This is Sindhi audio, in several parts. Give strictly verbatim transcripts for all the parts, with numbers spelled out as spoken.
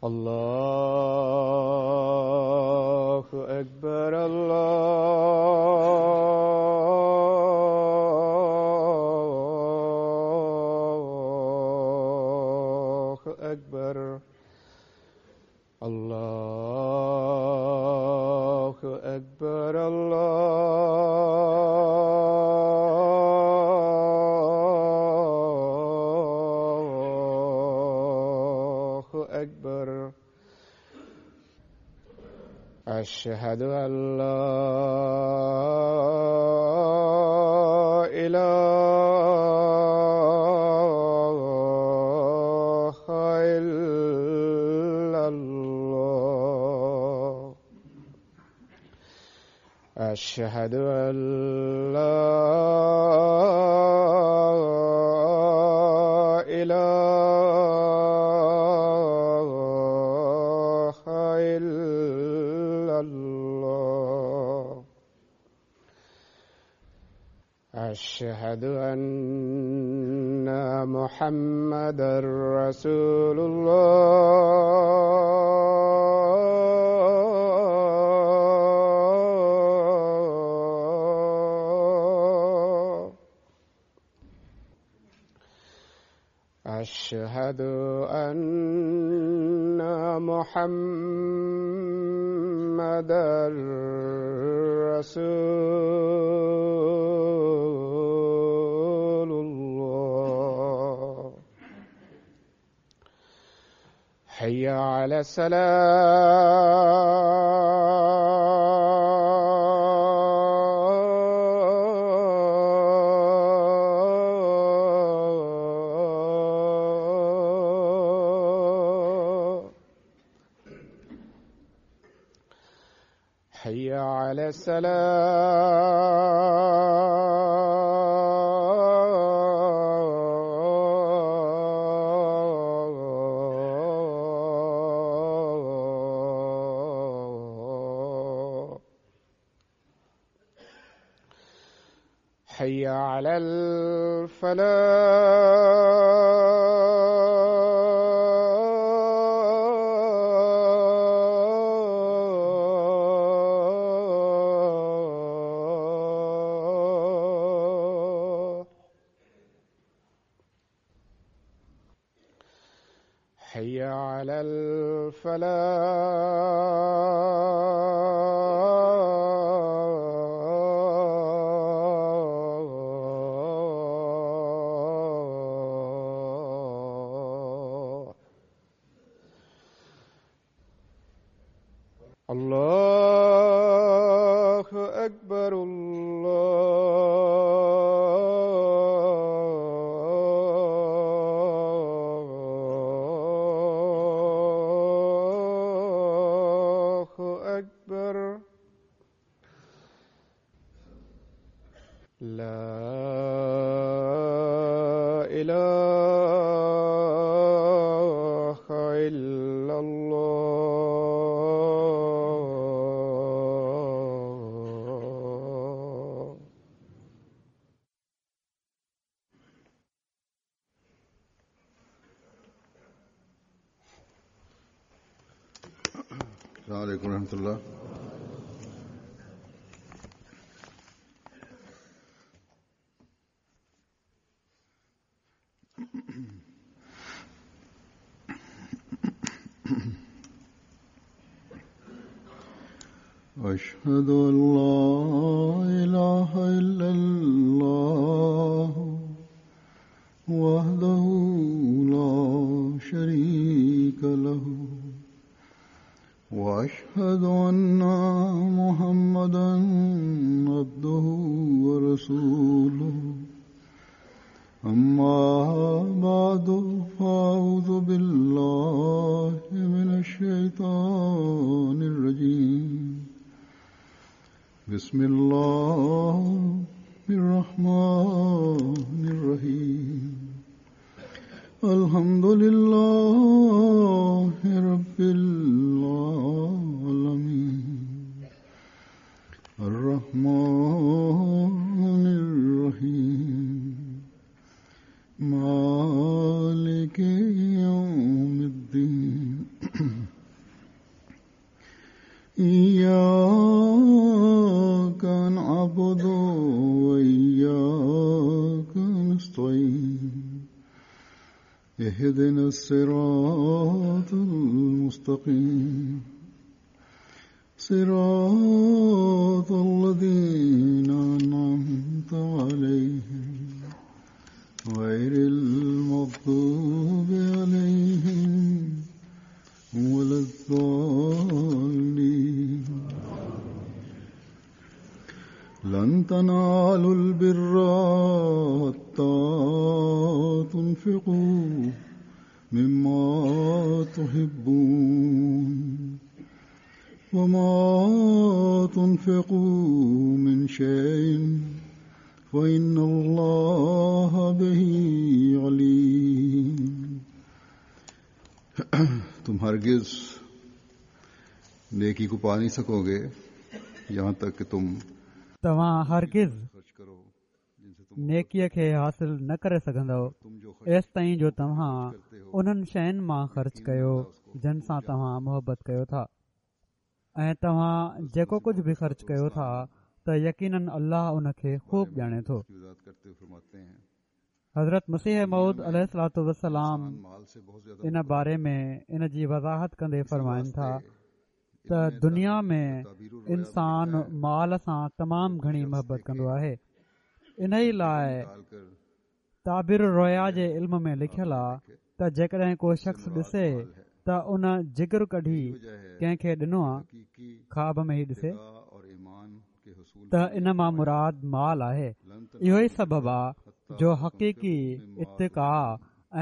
الله أكبر الله أكبر الله أكبر الله أكبر أشهد أن لا إله إلا الله أشهد أن لا إله إلا الله أشهد أن محمدا رسول الله أشهد أن محمدا رسول الله حي على السلام حي على السلام حي على الفلاح حي على الفلاح الله أكبر الله أكبر لا إله إلا الله السلام عليكم ورحمة الله. أشهد أن لا إله إلا الله وحده لا شريك له وأشهد أن محمدا عبده ورسوله أما بعد فأعوذ بالله من الشيطان الرجيم بسم الله الرحمن الرحيم الحمد لله رب العالمين الرحمن الرحيم مالك يوم الدين. اهدنا الصراط المستقيم صراط الذين أنعمت عليهم غير المغضوب عليهم ولا الضالين. لن تنالوا البر حتى تنفقوا مما تحبون وما تنفقوا من شيء فإن الله به عليم. तुम हरगिज़ नेकी को पा नहीं सकोगे यहाँ तक कि तुम तव्हां हरगिज़ नेकीअ खे हासिल न करे सघंदव एसिताईं जो तव्हां उन्हनि शयुनि मां ख़र्च कयो जन सां तव्हां मुहबत कयो था, ऐं तव्हां जेको कुझु बि ख़र्च कयो था त यकीनन अल्लाह उन खे ख़ूब ॼाणे थो। हज़रत मसीह मौऊद अलैहिस्सलातु वस्सलाम इन बारे में इन जी वज़ाहत कंदे फरमाइनि था त दुनिया में इंसान माल सां तमामु घणी मुहबत कंदो आहे। इन ई लाइ ताबीर रोया जे इल्म में लिखियल आहे त जेकॾहिं को शख़्स ॾिसे त उन जिगर कढी कंहिंखे ॾिनो आहे, ख़्वाब में ई ॾिसे, त इन मां मुराद माल आहे। इहो ई सबबु आहे जो हक़ीक़ी इत्तिका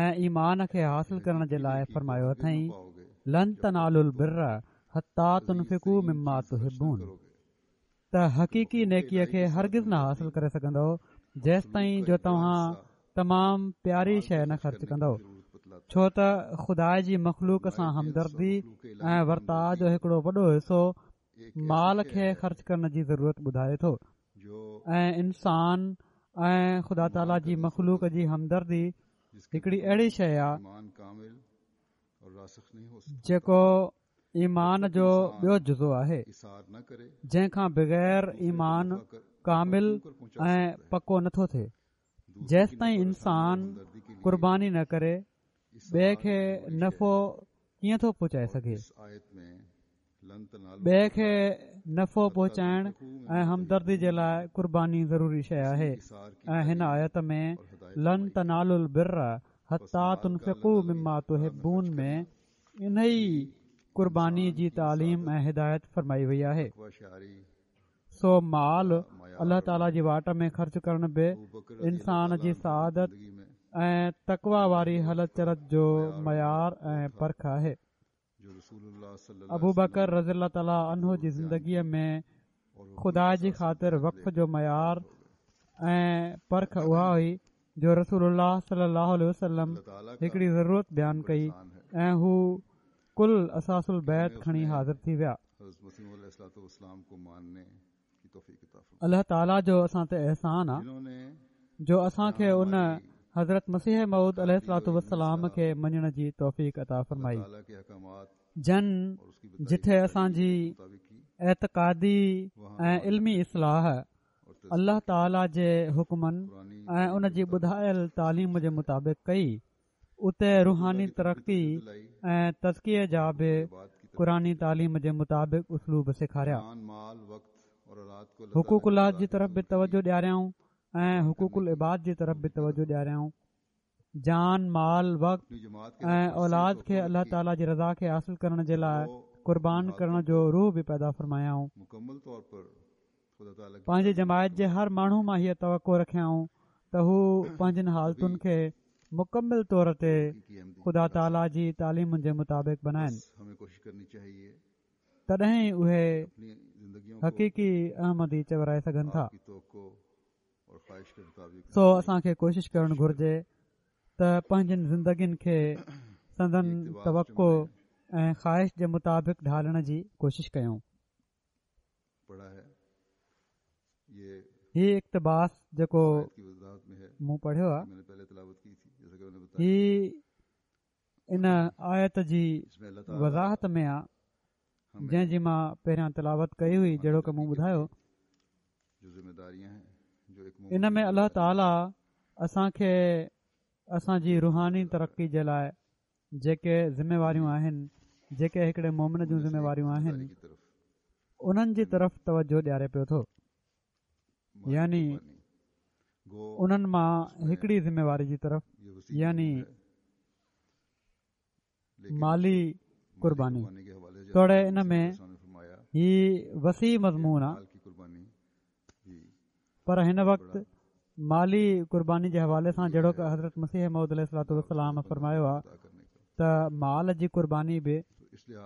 ऐं ईमान खे हासिल करण जे लाइ फरमायो अथई, लन तनालुल बिर्र हत्ता तुनफ़िकू मिम्मा तुहिब्बून, त हक़ीक़ी नेकीअ खे हरगिज़ न हासिल करे सघंदव जेसिताईं जो तव्हां तमामु प्यारी शइ न ख़र्च कंदव, छो त ख़ुदा जी मख़लूक सां हमदर्दी ऐं वर्ताव जो हिकिड़ो वॾो हिसो माल खे ख़र्च करण जी ज़रूरत ॿुधाए थो, ऐं इंसान ऐं ख़ुदा ताला जी मख़लूक जी हमदर्दी हिकिड़ी अहिड़ी शइ आहे जेको ईमान जो ॿियो जुज़ो आहे, जंहिंखां बग़ैर ईमान कामिल ऐं पको नथो थिए। जेसिताईं इंसान क़ुर्बानी न करे ॿिए खे नफ़ो कीअं थो पहुचाए सघे? ॿिए खे नफ़ो पहुचाइण ऐं हमदर्दी जे लाइ क़ुर्बानी ज़रूरी शइ आहे, ऐं हिन आयत में लन तनालुल बिर्र हत्ता तुनफ़िकू मिम्मा तुहिब्बून में इन ई क़ुर्बानी जी तालीम ऐं हिदायत फरमाई वई आहे। सो माल अल्लाह ताला जी वाट में ख़र्च करण बि इंसान जी सआदत ऐं तक़वा वारी हलत चलत जो मयार ऐं परख आहे। अबू बकर रज़ी अल्लाह ताला अन्हो जी ज़िंदगीअ में ख़ुदा जी ख़ातिर वक़्फ़ जो मयार ऐं परख उहा हुई जो रसूलुल्लाह सल्लल्लाहु अलैहि वसल्लम हिकिड़ी ज़रूरत बयानु कई ऐं हू कुल असासुल बैत खणी हाज़िर थी विया। अल्लाह ताला जो असां ते एहसान आहे जो असांखे उन हज़रत मसीह मौऊद अलैहिस्सलातु वस्सलाम खे मञण जी तौफ़ीक़ अता फरमाई, जन जिथे असांजी एतक़ादी ऐं इल्मी इस्लाह अल्लाह ताला जे हुक्मनि ऐं उन जी ॿुधायल तालीम जे मुताबिक़ कई, उते रूहानी तरक़ी ऐं तज़किए जा बि क़ुरानी तालीम जे मुताबिक़ उसलूब सेखारिया। हुकूकुल्लाह जी तरफ़ बि तवजो ॾियारियाऊं ऐं हुकूकुल इबाद जी तरफ़ बि तवजो ॾियारियाऊं। जान, माल, वक़्त ऐं औलाद खे अल्लाह ताला जी रज़ा खे हासिल करण जे लाइ क़ुर्बान करण जो रूह बि पैदा फरमायाऊं। पंहिंजी जमायत जे हर माण्हू मां हीअ तवक़ो रखियाऊं त हू पंहिंजनि हालतुनि खे मुकमिल तौर ते ख़ुदा ताला जी तालीमुनि जे मुताबिक़ बनाइनि, तॾहिं ई उहे हक़ीक़ी अहमदी चवराए सघनि था। सो असांखे कोशिश करणु घुर्जे त पंहिंजनि ज़िंदगियुनि खे संदन तवक़ो ऐं ख़्वाहिश जे मुताबिक़ ढालण जी कोशिश कयूं। हीउ इक़्तिबास जेको मूं पढ़ियो आहे, हीउ इन आयत जी वज़ाहत में आहे जंहिंजी मां पहिरियां तिलावत कई हुई, जहिड़ोक मूं ॿुधायो। इन में अल्लाह ताला असांखे اسان جي रूहानी तरक़ी जे लाइ जेके ज़िम्मेवारियूं आहिनि, जेके हिकिड़े मोमिन जूं ज़िम्मेवारियूं आहिनि, उन्हनि जी तरफ़ तवजो ॾियारे पियो थो। यानी उन्हनि मां हिकिड़ी ज़िम्मेवारी जी तरफ़, यानी माली कुर्बानी। तोड़े इन में ही वसी मज़मून आहे, पर हिन वक़्तु माली कुर्बानी जे हवाले सां जहिड़ोक हज़रत मसीह मौद अलैहिस्सलातु वस्सलाम फ़रमायो आहे त माल जी कुर्बानी बि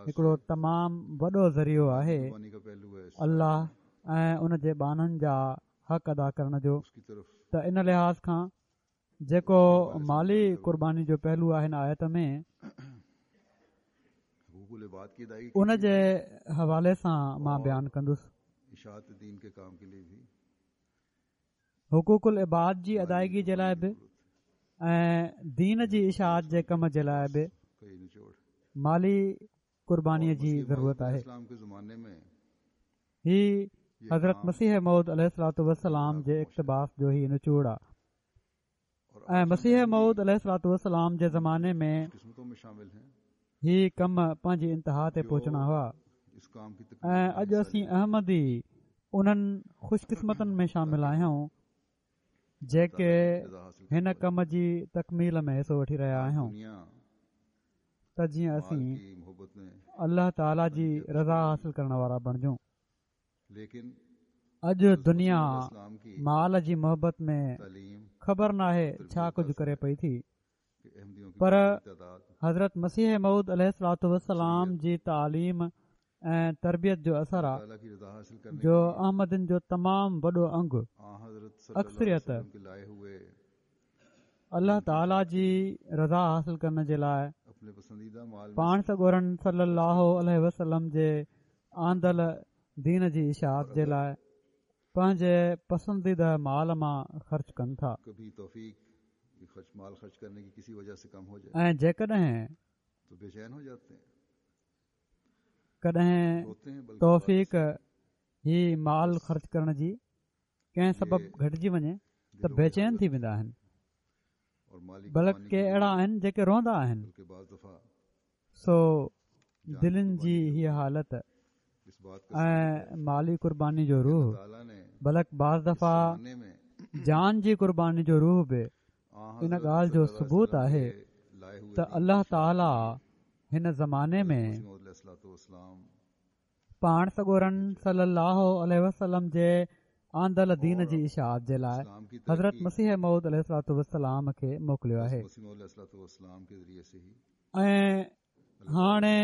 हिकिड़ो तमामु वॾो ज़रियो आहे अल्लाह ऐं उन जे ॿान्हनि जा हक़ अदा करण जो। त इन लिहाज़ खां जेको माली कुर्बानी जो पहलू आहे हिन आयत में, उन जे हवाले सां मां बयानु कंदुसि। हुकूकुल इबाद जी अदायगी जे लाइ बि ऐं दीन जी इशाअत जे कम जे लाइ बि माली कुर्बानीअ जी ज़रूरत आहे। ही हज़रत मसीह मौद अलैहिस्सलातु वस्सलाम जे इक़्तिबास जो ही निचोड़ आहे ऐं मसीह मौद अलैहिस्सलातु वस्सलाम जे ज़माने में ही कम पंहिंजी इंतहा ते पहुचणा हुआ ऐं अॼु असीं अहमदी उन्हनि ख़ुशकिस्मतनि में शामिल आहियूं जेके हिन कम जी तकमील में हिसो वठी रहिया आहियूं, त जीअं असीं अल्लाह ताला जी रज़ा हासिल करण वारा बणिजूं। अॼु दुनिया माल जी मोहबत में ख़बर नाहे छा कुझु करे पई थी, पर हज़रत मसीह मौद अलैहिस्सलातु वस्सलाम जी तालीम ऐं तरबियत जो असर आहे जो अहमदिन जो तमामु वॾो अंग, अक्सरियत अल्लाह ताला जी रज़ा हासिल करण जे लाइ पाण सڳورनि सल्लल्लाहु अलैहि वसल्लम जे आंदल दीन जी इशाअत जे लाइ पंहिंजे पसंदीदा माल मां ख़र्च कनि था। ऐं जेकॾहिं कॾहिं तौफ़ीक़ ही माल ख़र्च करण जी कंहिं सबब घटिजी वञे त बेचैन थी वेंदा आहिनि, बल्कि के अहिड़ा आहिनि जेके रोअंदा आहिनि। सो दिलनि जी हीअ हालत ऐं माली कुर्बानी जो रूह, बल्कि बाज़ दफ़ा जान जी कुर्बानी जो रूह बि इन ॻाल्हि जो सबूत आहे त अल्लाह ताला हिन ज़माने में पाण सڳورनि सल्लल्लाहु अलैहि वसल्लम जे आंदल दीन जी इशाअत जे लाइ हज़रत मसीह मौद अलैहिस्सलातु वस्सलाम खे मोकिलियो आहे ऐं हाणे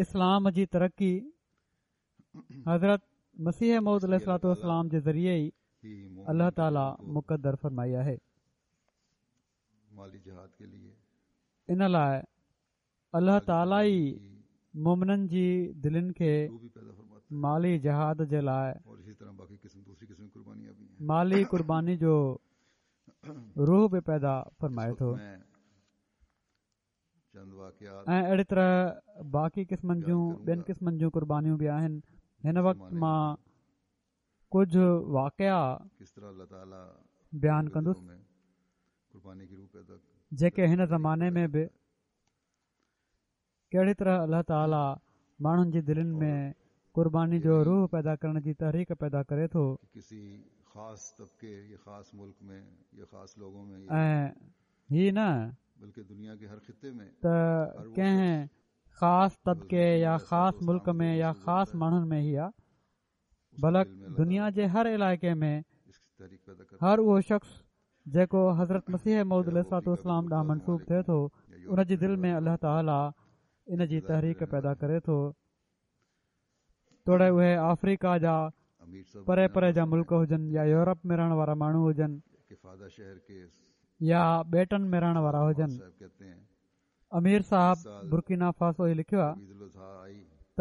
इस्लाम जी तरक़ी हज़रत मसीह मौद अलैहिस्सलातु वस्सलाम जे ज़रिए ई अल्लाह ताला मुक़द्दर फरमाई आहे। इन लाइ अल्लाह ताला ई मोमिननि जी दिलनि खे माली जहाद जे लाइ माली कुर्बानी जो रूह बि पैदा फरमाए थो ऐं अहिड़ी तरह बाक़ी क़िस्मनि जूं ॿियनि क़िस्मनि जूं कुर्बानियूं बि आहिनि। हिन वक़्तु मां कुझु वाक़िया बयानु कंदुसि जेके हिन ज़माने में बि कहिड़ी तरह अल्लाह ताला माण्हुनि जी दिलनि में कुर्बानी जो रूह पैदा करण जी तहरीक पैदा करे थो ऐं ही न त कंहिं ख़ासि तबिके या ख़ासि मुल्क में या ख़ासि माण्हुनि में ही आहे, बल्कि दुनिया जे हर इलाइक़े में हर उहो शख़्स जेको हज़रत मसीह मौद अलैहिस्सलातु वस्सलाम ॾांहुं मनसूब थिए थो, उन जी दिलि में अल्लाह ताला इन जी तहरीक पैदा करे थो। तोड़े उहे आफ्रीका जा परे परे जा मुल्क हुजनि या यूरोप में रहण वारा माण्हू हुजनि या ॿेटनि में रहण वारा हुजनि। अमीर साहब बुर्किना फासो ही लिखियो आहे त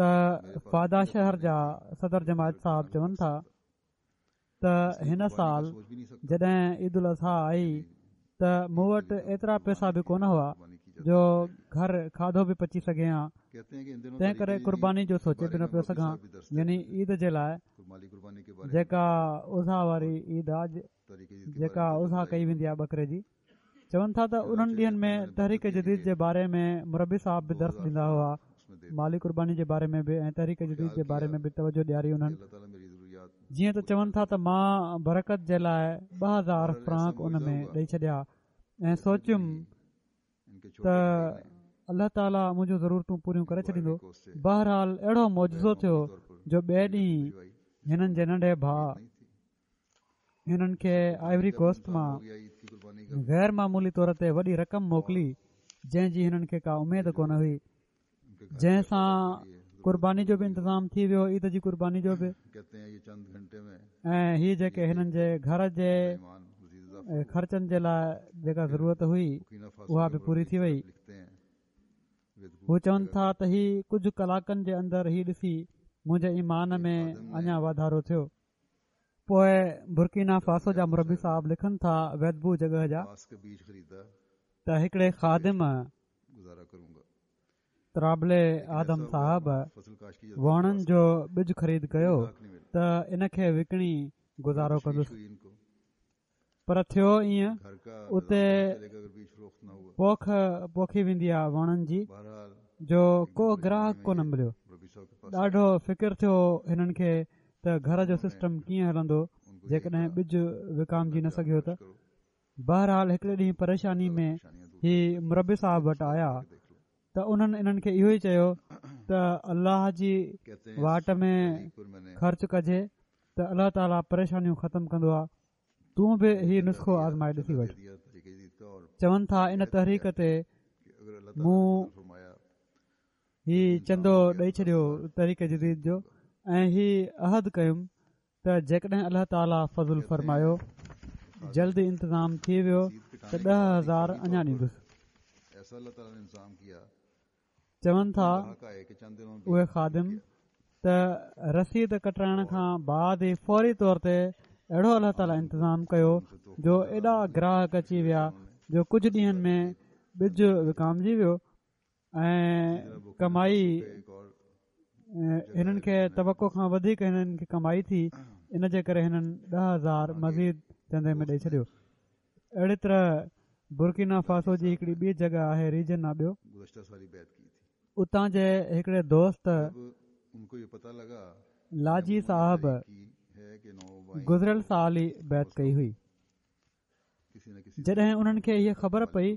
फादा शहर जा सदर जमायत साहब चवनि था त हिन साल जॾहिं ईद उल अज़हा आई त मूं वटि एतिरा पैसा बि कोन हुआ जो घर खाधो बि पची सघे हा, तंहिं करे कुर्बानी जो सोचे बि न पियो सघां। यानी ईद जे लाइ जेका उज़हा वारी ईद आहे, जेका उज़हा कई वेंदी आहे बकरे जी, چون ٿا ته انهن ڏينهن ۾ تحريڪ جديد جي باري ۾ مربي صاحب به درس ڏيندا هئا، مالي قرباني جي باري ۾ به ۽ تحريڪ جديد جي باري ۾ به توجه ڏياري انهن. جيئن ته چون ٿا ته مان برڪت جي لاءِ ٻه هزار فرانڪ ان ۾ ڏئي ڇڏيا ۽ سوچيم ته الله تعاليٰ منهنجون ضرورتون پوريون ڪري ڇڏيندو. بهرحال اهڙو معجزو ٿيو جو ٻئي ڏينهن هنن جي ننڍي ڀاءُ هنن کي آئيوري ڪوسٽ مان غير معمولي طور تي وڏي رقم موڪلي جنهن جي هنن کي ڪا اميد ڪونه هئي، جنهن سان قرباني جو به انتظام ٿي ويو، عيد جي قرباني جو به. ۽ هي جيڪي هنن جي گهر جي خرچن جي لاءِ جيڪا ضرورت هئي اها به پوري ٿي وئي. هو چون ٿا ته هي ڪجهه ڪلاڪن جي اندر هي ڏسي منهنجي ايمان ۾ اڃا واڌارو ٿيو. پوءِ برڪينا فاسو جا مربي صاحب لکن ٿا ويدبو جڳهه جا ته هڪڙي خادم ترابلي آدم صاحب ووڻن جو ٻج خريد ڪيو ته ان کي وڪڻي گذارو ڪندس، پر ٿيو ائين اتي پوک پوکي ويندي آهي ووڻن جي جو ڪو گراهڪ ڪونه مليو. ڏاڍو فڪر ٿيو هنن کي ته گهر جو سسٽم ڪيئن هلندو جيڪڏهن ٻج وڪامجي نه سگهيو ته. بهرحال هڪڙي ڏينهن پريشاني ۾ هي مربي صاحب وٽ آيا ته انهن انهن کي اهو ئي چيو ته الله جي واٽ ۾ خرچ ڪجي ته الله تعاليٰ پريشانيون ختم ڪندو آهي، تون به هي نسخو آزمائي ڏسي وٺ. چون ٿا ان تحريڪ تي مون هي چندو ڏئي ڇڏيو تحريڪ جديد جو، ۽ هي عهد ڪيم ته جيڪڏهن الله تعاليٰ فضل فرمايو جلدي انتظام ٿي ويو ته ڏهه هزار اڃا ڏيندس. چون ٿا اهي خادم ته رسيد ڪٽرائڻ کان بعد ئي فوري طور تي اهڙو الله تعاليٰ انتظام ڪيو جو ايڏا گراهڪ اچي ويا جو ڪجهه ڏينهن ۾ ٻج وڪامجي ويو ۽ ڪمائي هنن کي توقع کان وڌيڪ هنن کي ڪمائي ٿي. ان جي ڪري هنن ڏهه هزار مزيد چندي ۾ ڏئي ڇڏيو. اهڙي طرح برڪينا فاسو جي هڪڙي ٻي جڳهه آهي ريجن آ ٻيو، اتان جي هڪڙي دوست لاجي صاحب گذريل سال ئي بيعت ڪئي هئي. جڏهن انهن کي هيءَ خبر پئي،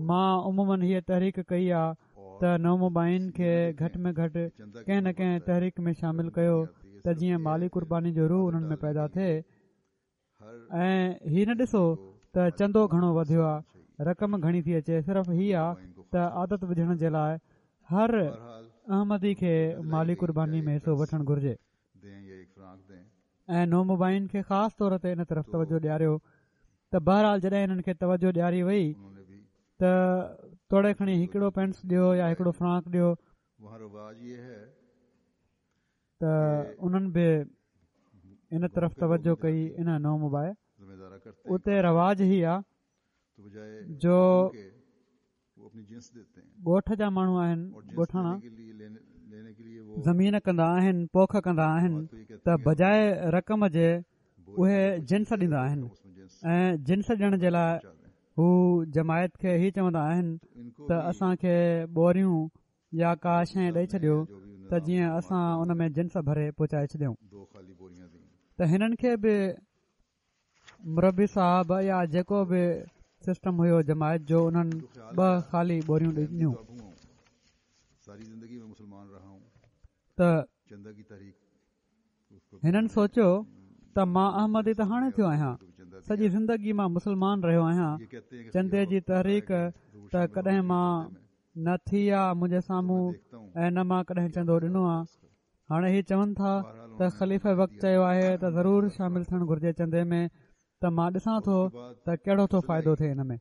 مان عموماً هيءَ تحريڪ ڪئي آ ته نومبائعين کي گهٽ ۾ گهٽ ڪنهن نه ڪنهن تحريڪ ۾ شامل ڪيو ته جيئن مالي قرباني جو روح انهن ۾ پيدا ٿئي، ۽ هي نه ڏسو ته چندو گهڻو وڌيو آ، رقم گهڻي ٿي اچي، صرف هي آ ته عادت وجهڻ جي لاءِ هر احمدي کي مالي قرباني ۾ حصو وٺڻ گهرجي، ۽ نومبائعين کي خاص طور تي ان طرف توجه ڏياريو. ته بهرحال جڏهن انهن کي توجه ڏياري وئي ته توڙي کڻي هڪڙو پينس ڏيو يا هڪڙو فرانڪ ڏيو، ته انهن به ان طرف توجه ڪئي. ان نومبائع اتي رواج هي آ جو ڳوٺ جا ماڻهو آهن، ڳوٺاڻا زمين ڪندا آهن، پوک ڪندا آهن، ته بجاءِ رقم جي اهي جنس ڏيندا آهن، ۽ جنس ڏيڻ جي لاءِ هو جماعت کي هي چوندا آهن ته اسان کي ٻوريون يا ڪا شيءِ ڏئي ڇڏيو ته جيئن اسان ان ۾ جنس ڀري پهچائي ڇڏيون. ته هنن کي به مربي صاحب يا جيڪو به سسٽم هيو جماعت جو، انهن ٻه خالي ٻوريون ڏنيون. ته هنن سوچيو ته مان احمدي ته هاڻي ٿيو آهيان، سڄي زندگي مان مسلمان رهيو آهيان، چندي جي تحريڪ ته ڪڏهن مان نه ٿي آ منهنجي سامهون ۽ نه مان ڪڏهن چندو ڏنو آ. هاڻي هي چون ٿا ته خليفه وقت چيو آهي ته ضرور شامل ٿيڻ گهرجي چندي ۾، ته مان ڏسان ٿو ته ڪهڙو ٿو فائدو ٿئي ان ۾.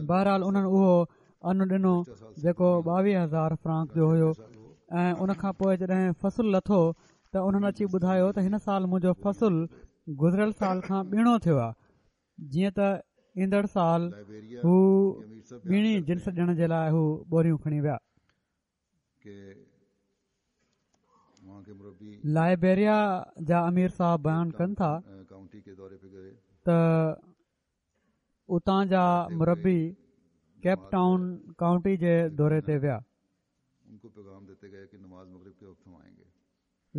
بهرحال انهن اهو ان ڏنو جيڪو ٻاويهه هزار فرانڪ جو هيو، ۽ ان کان پوءِ جڏهن فصل لٿو ته انهن اچي ٻڌايو ته هن سال منهنجو فصل گذريل سال کان ٻيڻو ٿيو آهي، جيئن ته ايندڙ سال هو ٻيڻي جنس ڏيڻ جي لاءِ هو ٻوريون کڻي ويا. لائبيريا جا امير صاحب بيان ڪن ٿا ته اتان جا مربي ڪيپ ٽائون ڪائونٽي جي دوري تي ويا.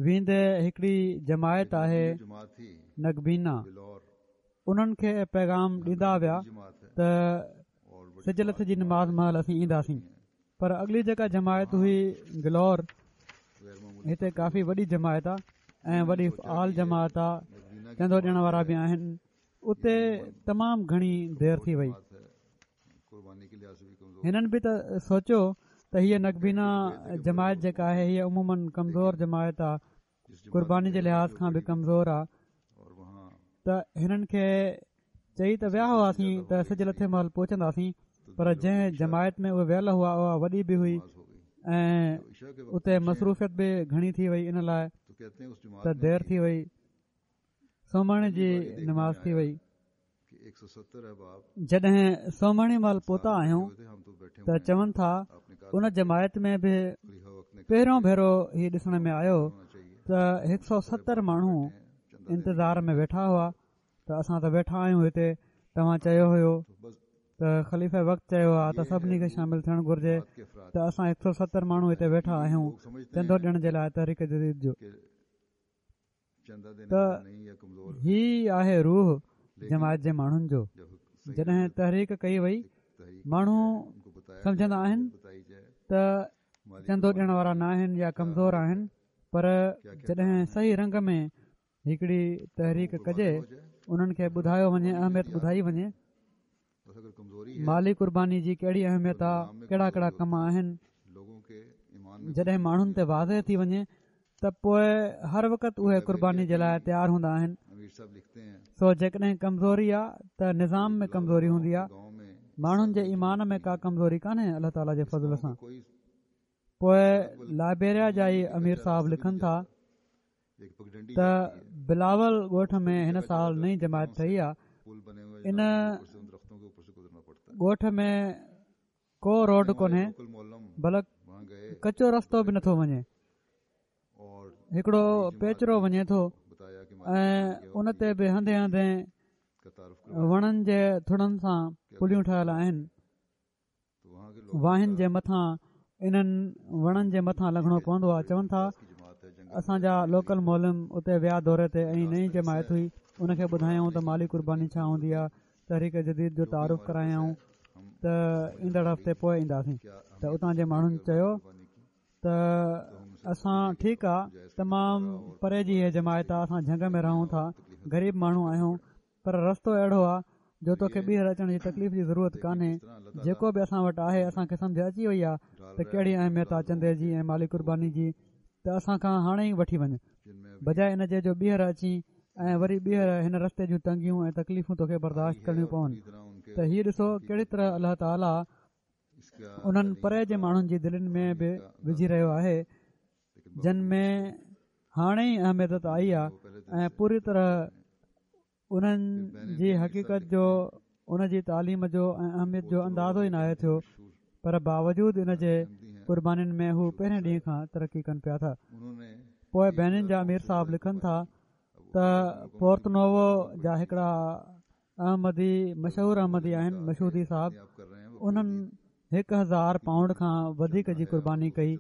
ويندي هڪڙي جماعت آهي نگبينا، انهن کي پيغام ڏيندا ويا ته سج لٿي جي نماز مهل اسين اينداسين. پر اڳلي جيڪا جماعت هئي گلور، هتي ڪافي وڏي جماعت آهي ۽ وڏي فعال جماعت آهي، چندو ڏيڻ وارا به آهن، اتي تمام گهڻي دير ٿي وئي. هنن به ته سوچيو ته هيءَ نگبينا جماعت جيڪا آهي هيءَ عموماً ڪمزور جماعت آهي، قرباني جي لحاظ کان به ڪمزور آهي، ته هنن کي چئي ته ويا هئاسين ته سج لٿي مهل پهچنداسين، پر جنهن جماعت ۾ اهي ويل هئا اها وڏي به هئي ۽ اتي مصروفيت به گهڻي ٿي وئي، ان لاءِ ته دير ٿي وئي. سومهڻي جي نماز ٿي وئي. جڏهن سومهڻي مهل پهتا آهيون ته چون ٿا ان جماعت ۾ به پهريون ڀيرو هي ڏسڻ ۾ آيو ته هڪ سؤ ستر ماڻهو انتظار ۾ ويٺا هئا ته اسان ته ويٺا آهيون هتي، توهان چيو هيو ته خليفه وقت چيو آهي ته سڀني کي شامل ٿيڻ گهرجي، ته اسان هڪ سؤ ستر ماڻهو هتي ويٺا آهيون چندو ڏيڻ جي لاءِ تحريڪ جديد جو. ته هي آهي روح جماعت جي ماڻهن جو. جڏهن تحريڪ ڪئي وئي، ماڻهو سمجهندا آهن ته چندو ڏيڻ وارا نه آهن يا ڪمزور آهن، پر جڏهن صحيح رنگ ۾ هڪڙي تحريڪ ڪجي، انهن کي ٻڌايو وڃي، اهميت ٻڌائي وڃي، مالي قرباني جي ڪهڙي اهميت آهي، ڪهڙا ڪهڙا ڪم آهن، جڏهن ماڻهن تي واضح ٿي وڃي ته پوءِ هر وقت اهي قرباني جي لاءِ تيار هوندا آهن. سو جيڪڏهن ڪمزوري آهي ته نظام ۾ ڪمزوري هوندي آهي، ماڻهن جي ايمان ۾ ڪا ڪمزوري ڪانهي الله تعاليٰ جي فضل سان. پوءِ لائبيريا جا ئي امير صاحب لکن ٿا ته بلاول ڳوٺ ۾ هن سال نئين جماعت ٺهي آهي. ان ڳوٺ ۾ ڪو روڊ ڪونهي، بلڪ ڪچو رستو به نٿو وڃي، هڪڙو پيچرو وڃي ٿو ۽ ان تي به هنڌي هنڌي وڻن جي ٿڙن سان پليون ٺهيل آهن. واهن جي مٿان انهن وڻن جي مٿان لنگهڻو پوندو آهي. چون ٿا اسان جا لوڪل معلم اتي ويا دوري تي ۽ نئين جماعت هئي، ان کي ٻڌايائون ته مالي قرباني ڇا هوندي آهي، تحريڪ جديد جو تعارف ڪرايائون ته ايندڙ هفتي پوءِ اينداسين. ته اتان جي ماڻهن چيو ته اسان ٺيڪ آهي، تمام پري جي هيءَ جماعت آهي، اسان جهنگ ۾ رهون ٿا، غريب ماڻهو آهيون، پر رستو اهڙو آهي جو توکي ٻيهر اچڻ جي تڪليف جي ضرورت ڪانهي، جيڪو به اسان وٽ آهي اسان کي سمجهه اچي وئي آهي ته ڪهڙي اهميت آهي چندي جي ۽ مالي قرباني جي، ته اسان کان هاڻي ئي وٺي وڃ، بجاءِ ان جي جو ٻيهر اچين ۽ وري ٻيهر هن رستي جون تنگيون ۽ تڪليفون توکي برداشت ڪرڻيون پون. ته هيءَ ڏسو ڪهڙي طرح الله تعاليٰ انهن پري جي ماڻهن جي دلين ۾ به وجهي رهيو آهي جن ۾ هاڻي ئي اهميت آئي آهي ۽ پوري طرح انهن جي حقيقت جو، ان جي تعليم جو ۽ اهميت جو اندازو ئي ناهي ٿيو، پر باوجود ان جي قربانين ۾ هو پهرين ڏينهن کان ترقي ڪن پيا ٿا. پوءِ بينن جا امير صاحب لکن ٿا ته پورتنوو جا هڪڙا احمدي، مشهور احمدي آهن، مشهودي صاحب، انهن هڪ هزار پائونڊ کان وڌيڪ جي قرباني ڪئي.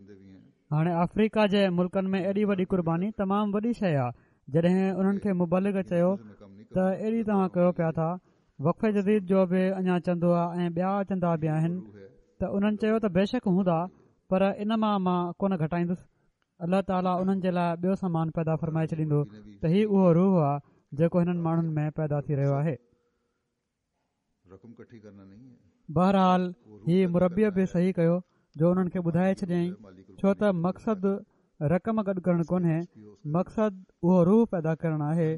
هاڻي آفريڪا جي ملڪن ۾ ايڏي وڏي قرباني تمام وڏي شيءِ آهي. جڏهن انهن کي مبلغ چيو ته ايڏي توهان ڪيو پيا ٿا، وقف جديد جو به اڃا چندو آهي ۽ ٻيا چندا به آهن، ته انهن چيو ته بيشڪ هوندا، پر ان مان مان ڪونه گهٽائيندس، الله تعاليٰ انهن جي لاءِ ٻيو سامان پيدا فرمائي ڇڏيندو. ته هي اهو روح آهي جيڪو هنن ماڻهن ۾ پيدا ٿي رهيو آهي. بهرحال هي مربيءَ به صحيح ڪيو جو انهن کي ٻڌائي ڇڏيائين، ڇو ته مقصد رقم گڏ ڪرڻ ڪونهي، مقصد اهو روح پيدا ڪرڻ آهي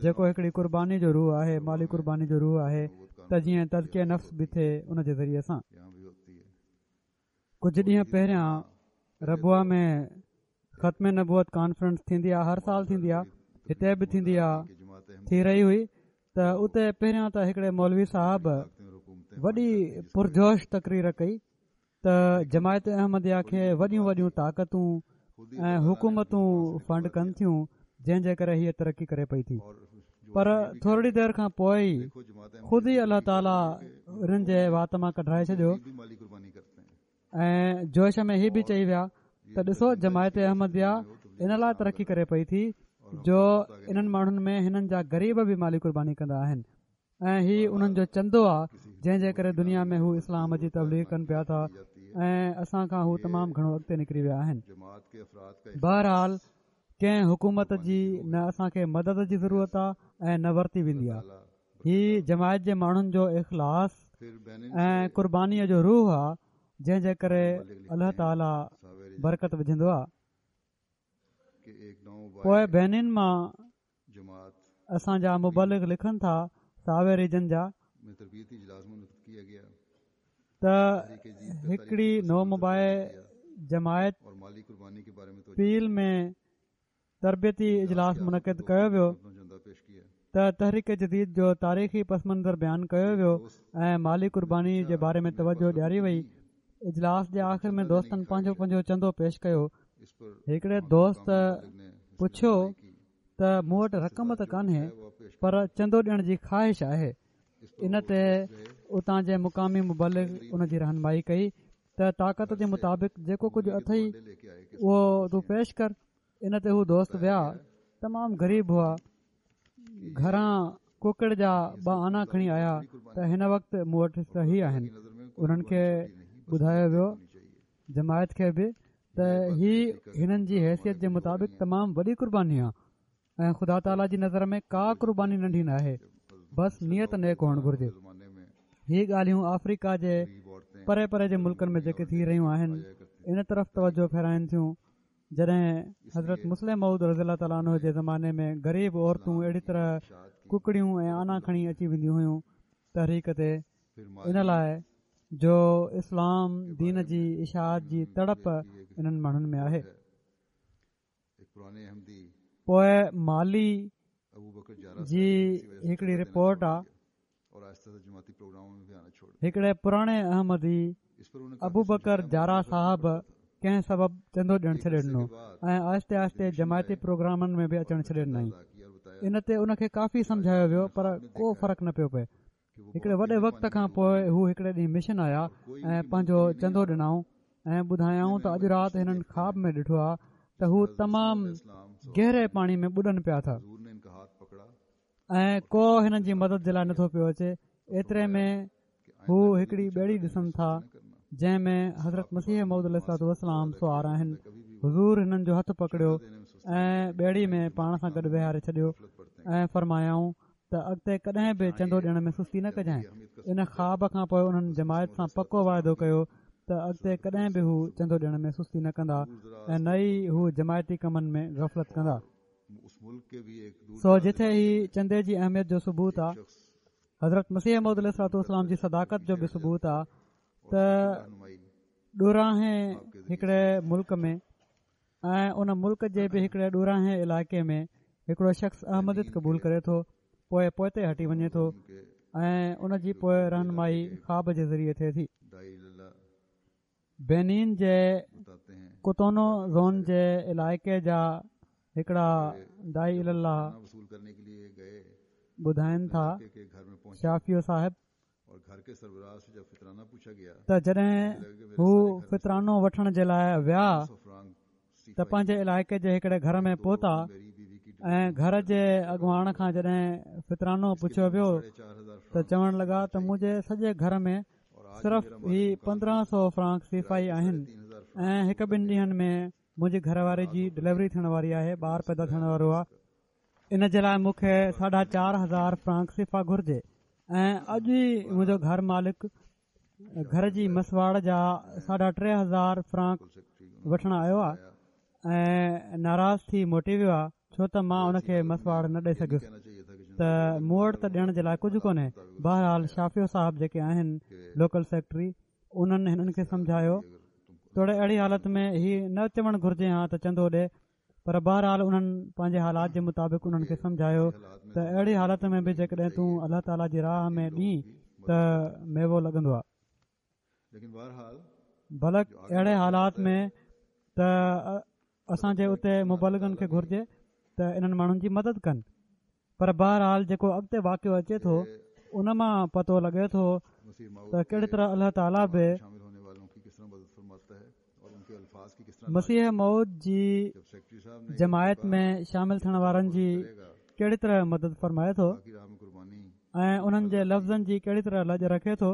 جيڪو هڪڙي قرباني جو روح آهي، مالي قرباني جو روح آهي، ته جيئن تزڪيه نفس به ٿئي ان جي ذريعي سان. ڪجهه ڏينهن پهريان ربوه ۾ ختم نبوت ڪانفرنس ٿيندي آهي، هر سال ٿيندي آهي، هتي به ٿيندي آهي، ٿي رهي هئي. ته اتي پهريان ته هڪڙي مولوي صاحب وڏي پرجوش تقرير ڪئي ته جماعت احمديه کي وڏيون وڏيون طاقتون ۽ حڪومتون فنڊ ڪن ٿيون، جنهن جي ڪري هيءَ ترقي ڪري پئي ٿي. پر ٿورڙي دير کان پوءِ ئي خود ئي الله تعاليٰ انهن جي وات مان ڪڍرائي ڇڏيو ۽ جوش ۾ هي به چئي ويا ته ڏسو جماعت احمديه ان لاءِ ترقي ڪري پئي ٿي جو انهن ماڻهن ۾ هنن جا غريب به مالي قرباني ڪندا آهن ۽ هي انهن جو چندو آهي جنهن جي ڪري دنيا ۾ هو اسلام جي تبليغ ڪن پيا ٿا ۽ اسان کان هو تمام گهڻو اڳتي نڪري ويا آهن. بهرحال ڪنهن حڪومت جي نه اسان کي مدد جي ضرورت آهي ۽ نه ورتي ويندي آهي. هي جماعت جي ماڻهن جو اخلاص ۽ قربانيءَ جو روح آهي جنهن جي ڪري الله تعاليٰ برڪت وجهندو آهي. پوءِ بينين مان اسان جا مبلغ لکن ٿا ساوي ريجن جا ته هڪڙي نومبائع جماعت پيل ۾ تربيتي اجلاس منعقد ڪيو ويو ته تحريڪ جديد جو تاريخي پس منظر بيان ڪيو ويو ۽ مالي قرباني جي باري ۾ توجه ڏياري وئي. اجلاس جي آخر ۾ دوستن پنهنجو پنهنجو چندو پيش ڪيو. هڪڙي دوست پڇيو ته مون وٽ رقم ته ڪانهي پر چندو ڏيڻ جي خواهش آهي. ان تي اتان جي مقامي مبلغ ان جي رهنمائي ڪئي ته طاقت جي مطابق جيڪو ڪجهه اٿئي اهو تون پيش ڪر. ان تي هو دوست ويا، تمام غريب هئا، گهران ڪڪڙ جا ٻه آنا کڻي آيا ته هن وقت مون وٽ صحيح آهن. انهن کي ٻڌايو ويو جماعت کي به ته هي هنن جي حيثيت جي مطابق تمام وڏي قرباني آهي ۽ خدا تعاليٰ جي نظر ۾ ڪا قرباني ننڍي نه آهي، بس نيت نيڪ هئڻ گهرجي. هي ڳالهيون آفريڪا جي پري پري جي ملڪن ۾ جيڪي ٿي رهيون آهن ان طرف توجه ڦيرائن ٿيون. جڏهن حضرت مصلح موعود رضي الله تعاليٰ عنه جي زماني ۾ غريب عورتون اهڙي طرح ڪڪڙيون ۽ آنا کڻي اچي وينديون هيون تحريڪ تي، ان لاءِ جو اسلام دين جي اشاعت جي تڙپ انهن ماڻهن ۾ آهي. پوءِ مالي جي هڪڙي رپورٽ آهي، هڪڙي پراڻي احمدي ابوبڪر جارا صاحب ڪنهن سبب چندو ڏيڻ ڇڏي ڏنو ۽ آهستي آهستي جماعتي پروگرامن ۾ به اچڻ ڇڏي ڏنائين. ان تي ان کي ڪافي سمجهايو ويو پر ڪو فرق نه پيو پئي. هڪڙي وڏي وقت کان پوءِ هو هڪڙي ڏينهن مشن آيا ۽ پنهنجو چندو ڏنائون ۽ ٻڌايائون ته اڄ رات هنن خواب ۾ ڏٺو آهي ته هو تمام گهري پاڻي ۾ ٻڏن پيا ٿا ۽ ڪو هنن جي مدد جي لاءِ نٿو پيو اچي. ايتري ۾ هو هڪڙي ٻيڙي ڏسن ٿا جنهن ۾ حضرت مسيح موعود عليه الصلوة والسلام سوار آهن. حضور هنن جو هٿ پڪڙيو ۽ ٻيڙي ۾ پاڻ سان گڏ ويهاري ڇڏيو ۽ فرمايائون ته اڳتي ڪڏهن به چندو ڏيڻ ۾ سستي نه ڪجانءِ. ان خواب کان پوءِ انهن جماعت سان پڪو واعدو ڪيو ته اڳتي ڪڏهن به هو چندو ڏيڻ ۾ سستي نه ڪندا ۽ نه ئي هو جماعتي ڪمن ۾ غفلت ڪندا. سو جٿي هي چندي جي اهميت جو ثبوت آهي، حضرت مسيح موعود عليه الصلوة والسلام جي صداقت جو به ثبوت آهي ته ڏورانهين هڪڙي ملڪ ۾ ۽ ان ملڪ جي به هڪڙي ڏورانهين علائقي ۾ هڪڙو شخص احمديت قبول ڪري ٿو، پوءِ پوئتي هٽي وڃي ٿو ۽ ان جي پوءِ رهنمائي خواب جي ذريعي ٿئي ٿي. بينين جي ڪوتونو زون جي علائقي جا هڪڙا داعي الي الله ٻڌائين ٿا، شافيو صاحب، ته جڏهن هو فطرانو وٺڻ جي لاءِ ويا ته پنهنجي علائقي جي هڪڙي گهر ۾ پهتا ۽ گهر جي اڳواڻ کان جڏهن فطرانو پڇيو ويو ته چوڻ لڳا ته منهنجي سڄي گهر ۾ صرف هي پندرهن سؤ فرانڪ سيفائي آهن ۽ هڪ ٻن ڏينهن ۾ منهنجي گهر واري جي ڊليوري ٿيڻ واري آهي، ٻار پيدا ٿيڻ وارو آهي، ان جي لاءِ مون کي ساڍا چار هزار فرانڪ سيفا گهرجي ۽ اڄ ئي منهنجو گهر مالڪ گهر جي مسواڙ جا ساڍا ٽي هزار فرانڪ وٺڻ آيو آهي ۽ ناراض ٿي موٽي ويو آهي ڇو ته مان ان کي مسواڙ نه ڏئي سگهيس ته مون وٽ ته ڏيڻ جي لاءِ ڪجهه ڪونهي. بهرحال شافيو صاحب جيڪي آهن لوڪل سيڪريٽري، انهن هنن کي سمجهايو توڙي اهڙي حالت ۾ هي نه چوڻ گهرجي ها ته چندو ڏي، پر بهرحال انهن پنهنجي حالات جي مطابق انهن کي سمجهايو ته اهڙي حالت ۾ به جيڪڏهن تون الله تعاليٰ جي راهه ۾ ڏين ته ميوو لڳندو آهي. بلڪ اهڙي حالات ۾ ته اسان جي اتي مبلغن کي گهرجي ته انهن ماڻهن جي مدد ڪن، پر بهرحال جيڪو اڳتي واقعو اچي ٿو ان مان پتو لڳي ٿو ته ڪهڙي طرح الله تعاليٰ به مسيح موعود جي جماعت ۾ شامل ٿيڻ وارن جي ڪهڙي طرح مدد فرمائي ٿو ۽ انهن جي لفظن جي ڪهڙي طرح لڄ رکي ٿو.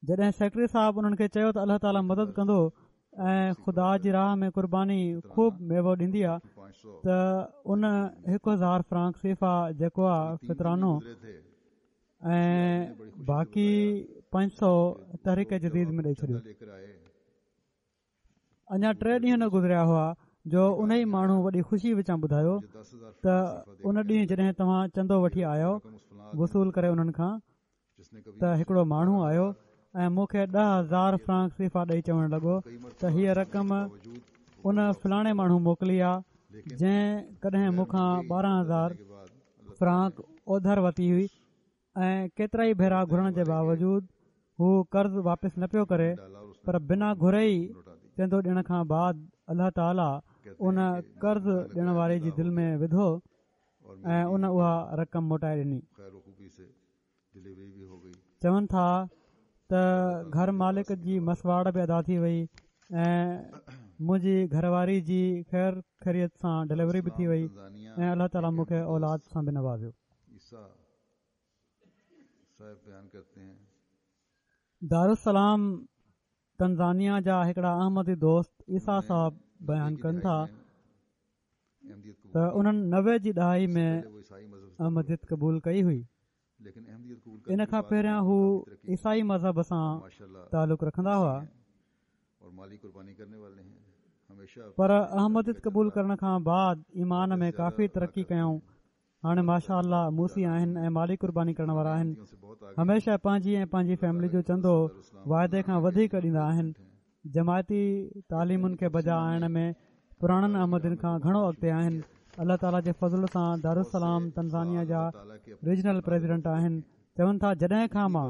جڏهن سيڪريٽري صاحب انهن کي چيو ته الله تعاليٰ مدد ڪندو ۽ خدا جي راهه ۾ قرباني خوب ميوو ڏيندي آهي ته ان هڪ هزار فرانڪ سيفا جيڪو آهي فطرانو ۽ باقي پنج سؤ تحريڪ جديد ۾ ڏئي ڇڏيو. اڃا ٽي ڏينهن نه گذريا هئا جو ان ئي ماڻهو وڏي خوشي وچان ٻڌايو ته ان ڏينهن جڏهن توهان چندو وٺي آيو وصول ڪري انهن کان ته هڪڙو ماڻهو آيو ۽ مون کي ڏهه هزار فرانڪ سيفا ڏئي چوڻ لڳو ته هيء رقم ان فلاڻي ماڻهو موڪلي آ جنهن ڪڏهن مون کان ٻارهن هزار فرانڪ اوڌر ورتي هئي ۽ ڪيترا ئي ڀيرا گهرڻ جي باوجود هو قرض واپس نه پيو ڪري، پر بنا گهري ئي چندو ڏيڻ کان بعد الله تعاليٰ ان قرض ڏيڻ واري جي دل ۾ وڌو ۽ ان اها رقم موٽائي ڏني. چون ٿا ته گهر مالڪ جي مسواڙ به ادا ٿي وئي ۽ منهنجي گهر واري جي خير خيريت سان ڊليوري به ٿي وئي ۽ الله تعاليٰ مون کي اولاد سان به نوازيو. دارالسلام تنزانيا جا هڪڙا احمدي دوست عيسيٰ صاحب بيان ڪن ٿا ته انهن نوي جي ڏهائي ۾ احمديت قبول ڪئي هئي. ان کان پهريان هو عيسائي مذهب سان تعلق رکندا هئا، پر احمديت قبول ڪرڻ کان بعد ايمان ۾ ڪافي ترقي ڪيائون. هاڻي ماشاء الله موصي آهن ۽ مالي قرباني ڪرڻ وارا آهن. هميشه پنهنجي ۽ پنهنجي فيملي جو چندو واعدي کان وڌيڪ ڏيندا آهن. جماعتي تعليمن کي بجا آڻڻ ۾ پراڻن احمدين کان گهڻو اڳتي آهن. الله تعاليٰ جي فضل سان دارالسلام تنزانيا جا ريجنل پريزيڊنٽ آهن. چون ٿا جڏهن کان مان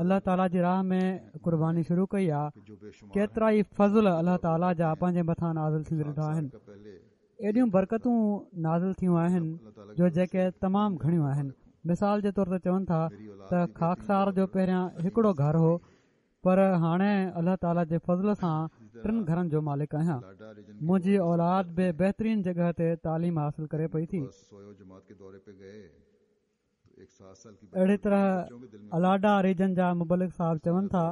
الله تعاليٰ جي راهه ۾ قرباني شروع ڪئي آهي ڪيترا ئي فضل الله تعاليٰ جا پنهنجي مٿان نازل ٿيندي ڏٺا آهن. ايڏيون برڪتون نازل ٿيون آهن جو جيڪي تمام گهڻيون آهن. مثال جي طور تي چون ٿا ته خاڪسار جو پهريان هڪڙو گهر هو، پر هاڻي الله تعاليٰ جي فضل سان ٽن گهرن جو مالڪ آهيان. منهنجي اولاد به بهترين جڳهه تي تعليم حاصل ڪري پئي ٿي. اهڙي طرح الاڊا ريجن جا مبلغ صاحب چون ٿا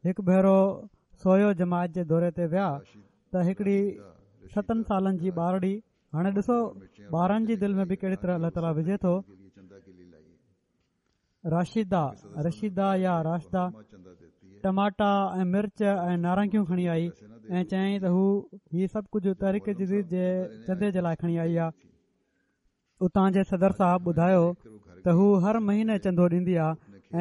هڪ ڀيرو سويو جماعت جي دوري تي ويا ته هڪڙي ستن سالن جي ٻارڙي، هاڻي ڏسو ٻارن جي دل ۾ به ڪهڙي طرح الله تعاليٰ وجهي ٿو، راشده رشيده يا راشده ٽماٽا ۽ مرچ ۽ نارنگيون کڻي آئي ۽ چيائين ته هو هي سڀ ڪجهه تحريڪ جديد جي چندي جي لاء کڻي آئي آهي. اتان جي صدر صاحب ٻڌايو ته هو هر مهيني چندو ڏيندي آهي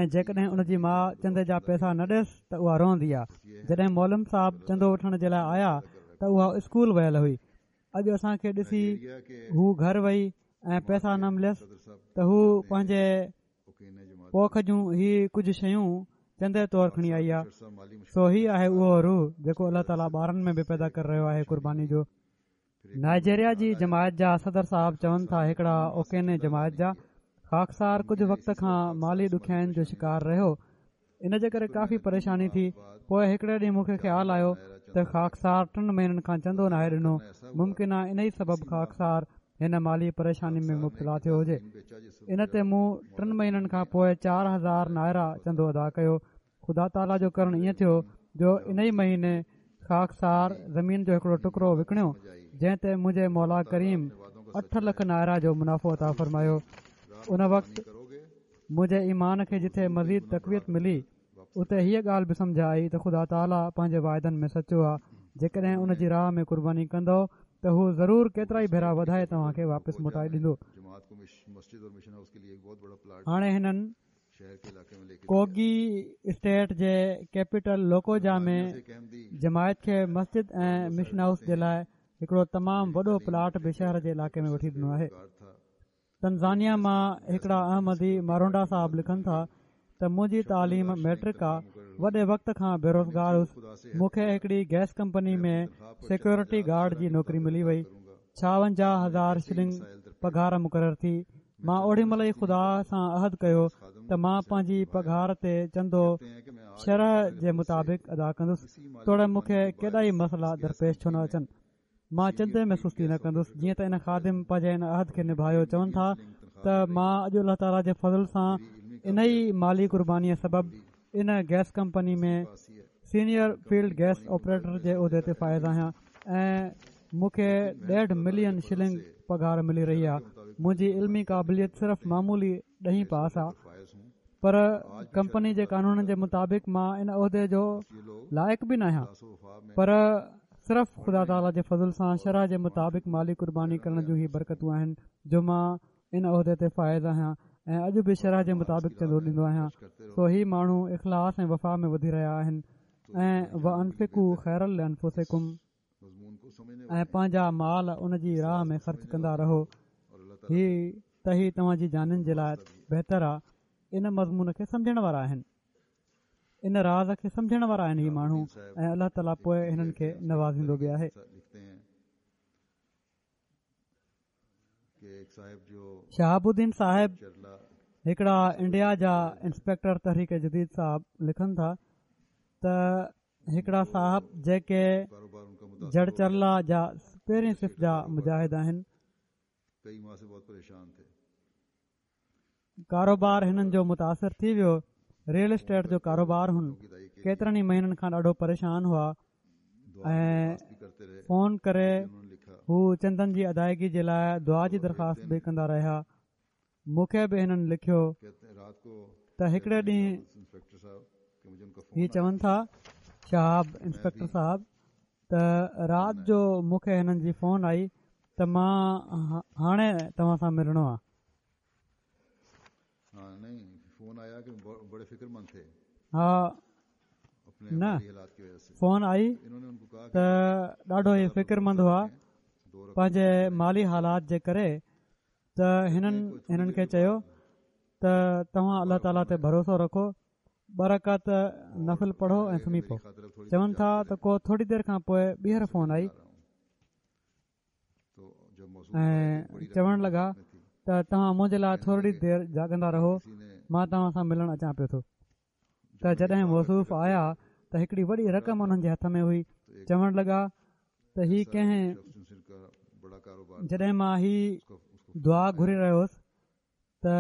۽ جيڪڏهن ان جي ماء چندي جا پئسا نه ڏيس ته اها روئندي آهي. جڏهن معلم صاحب چندو وٺڻ جي لاء آيا ته اها اسڪول ويل هئي. اڄ اسان کي ڏسي هو گهر وئي ۽ پئسا نه مليس ته هو پنهنجي پوک جون هي ڪجهه شيون چندي طور کڻي آئي آهي. سو هي آهي اهو روح جيڪو الله تعاليٰ ٻارن ۾ به پيدا ڪري رهيو آهي قرباني جو. نائجيريا جي جماعت جا صدر صاحب چون ٿا هڪڙا اوڪيني جماعت جا خاڪسار ڪجهه وقت کان مالي ڏکيائين جو شڪار رهيو، ان جي ڪري ڪافي پريشاني ٿي. پوءِ هڪڙي ڏينهن مون کي خيال آيو ته خاڪسار ٽن مهينن کان چندو ناهي ڏنو، ممڪن آهي ان ئي سبب خاڪسار هن مالي پريشاني ۾ مبتلا ٿيو هجي. ان تي مون ٽن مهينن کان پوءِ چار هزار نائرا چندو ادا ڪيو. خدا تعاليٰ جو ڪرڻ ائين ٿيو جو ان ئي مهيني خاڪسار زمين جو هڪڙو ٽڪرو وڪڻيو جنهن تي منهنجي مولا ڪريم اٺ لک نائرا جو منافعو عطا فرمايو. ان وقت منهنجي ايمان کي جٿي مزيد تقويت ملي اتي هيءَ ڳالهه به سمجهه آئي ته خدا تعاليٰ پنهنجي واعدن ۾ سچو آهي. جيڪڏهن ان جي راهه ۾ قرباني ڪندؤ ته هو ضرور ڪيترائي ڀيرا وڌائي توهان کي واپس موٽائي ڏيندو. هاڻي هنن ڪوگي اسٽيٽ جي ڪيپيٽل لوڪوجا ۾ جماعت کي مسجد ۽ مشن هائوس جي لاءِ هڪڙو تمام وڏو پلاٽ به شهر جي علائقي ۾ وٺي ڏنو آهي. تنزانيا مان هڪڙا احمدي مارونڊا صاحب لکن ٿا ته منهنجي تعليم ميٽرڪ آ، وڏي وقت کان بيروزگار هوس. مون کي هڪڙي gas company ۾ security guard جي نوڪري ملي وئي. ڇاونجاهه هزار شلنگ پگهار مقرر ٿي. مان اوڏي مهل ئي خدا سان عهد ڪيو ته مان پنهنجي پگهار تي چندو شرح جي مطابق ادا ڪندس، توڙي مون کي ڪيڏا ئي مسئلا درپيش ڇو نه اچن، مان چندي ۾ سستي نه ڪندس. جيئن ته ان خادم پنهنجي ان عهد کي نڀايو. چون ٿا ته مان اڄ الله تعاليٰ جي فضل سان ان ئي مالي قربانيءَ سبب ان gas company ۾ senior field gas operator جي عهدي تي فائز آهيان ۽ مون کي ڏيڍ ملين شلنگ پگهار ملي رهي آهي. منهنجي علمي قابليت صرف معمولي ڏهين پاس آهي، پر ڪمپني جي قانونن جي مطابق مان ان عهدي جو لائق به نه آهيان، پر صرف خدا تعاليٰ جي فضل سان شرح جي مطابق مالي قرباني ڪرڻ جون هي برڪتون آهن جو مان ان عهدي تي فائز آهيان ۽ اڄ به شرح جي مطابق چندو ڏيندو آهيان. سو هي ماڻهو اخلاص ۽ وفا ۾ وڌي رهيا آهن ۽ وانفقوا خيرا لانفسڪم ۽ پنهنجا مال ان جي راهه ۾ خرچ ڪندا رهو، هي ته هي توهان جي جانين جي لاءِ بهتر آهي. ان مضمون کي سمجهڻ وارا آهن، ان راز کي سمجهڻ وارا آهن هي ماڻهو، ۽ الله تعاليٰ پوءِ هنن کي نوازيندو به آهي. شهاب الدين صاحب هڪڙا انڊيا جا انسپيڪٽر تحريڪ جديد صاحب لکن ٿا ته هڪڙا صاحب جيڪي جڙچرلا جا پهرين صف جا مجاهد آهن، ڪاروبار هنن جو متاثر ٿي ويو، ريئل اسٽيٽ جو ڪاروبار هن ڪيترن ئي مهينن کان ڏاڍو پريشان هئا ۽ فون ڪري هو چندن جي ادائگي جي لاءِ دعا جي درخواست به ڪندا رهيا. مون کي به هنن لکيو ته هڪڙي ڏينهن هي چون ٿا شهاب انسپيڪٽر صاحب ته رات جو مون کي هنن جي فون آئي ته مان هاڻي توهان سان ملڻو آهي. ها نه فون آئي ته ڏاڍو ئي فڪرمند هئا پنهنجي مالي حالات جي ڪري، ته هنن هنن کي چيو ته توهان الله تعاليٰ تي ڀروسو رکو، ٻه رڪعت نفل پڙهو ۽ سمهي پئو. چون ٿا ته ڪو ٿوري دير کان پوءِ ٻيهر فون آئي ۽ چوڻ لڳا ته توهان منهنجي لاءِ ٿوري دير جاڳندا رهو، مان توهان سان ملڻ اچان پيو ٿو. ته جڏهن موصوف آيا ته هڪڙي وڏي رقم انهن جي هٿ ۾ هئي. چوڻ لڳا ته هي ڪنهن جڏهن مان هي دعا گهري رهيو هوس ته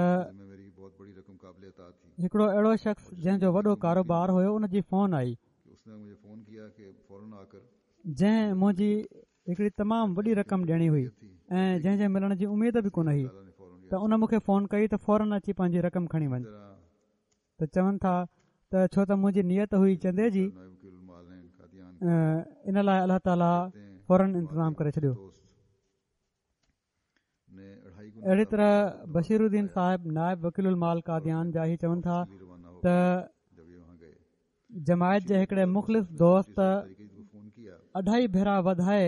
هڪڙو اهڙو شخص جنهن جو وڏو ڪاروبار هيو ان جي فون آئي، جنهن منهنجي هڪڙي تمام وڏي رقم ڏيڻي هئي ۽ جنهن جي ملڻ جي اميد به ڪونه هئي، ته ان مون کي فون ڪئي ته فورن اچي پنهنجي رقم کڻي وڃ. ته چون ٿا ته ڇو ته منهنجي نيت هئي چندي جي، ان لاءِ الله تعاليٰ فورن انتظام ڪري ڇڏيو. اهڙي طرح بشير الدين صاحب نائب وڪيل المال قاديان جا هي چون ٿا ته جماعت جي هڪڙي مخلص دوست اڍائي ڀيرا وڌائي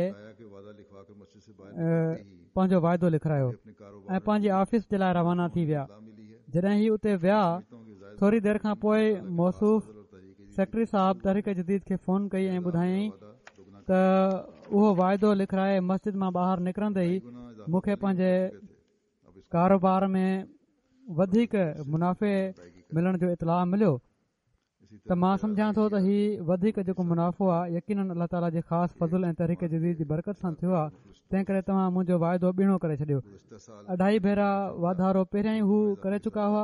پنهنجو واعدو لکرايو ۽ پنهنجي آفيس جي لاءِ روانا ٿي ويا. جڏهن هي اتي ويا ٿوري دير کان پوءِ موصوف سيڪريٽري صاحب تحريڪ جديد کي فون ڪئي ۽ ٻڌايائين ته اهو واعدو لکرائي مسجد مان ٻاهر نڪرندي ئي مون کي پنهنجي ڪاروبار ۾ وڌيڪ منافعي ملڻ جو اطلاع مليو، ته مان سمجهان ٿو ته هي وڌيڪ جيڪو منافعو آهي يقينن الله تعاليٰ جي خاص فضل ۽ تحريڪ جديد جي برڪت سان ٿيو آهي، تنهن ڪري توهان منهنجو واعدو ٻيڻو ڪري ڇڏيو. اڍائي ڀيرا واڌارو پهريان ئي هو ڪري چڪا هئا،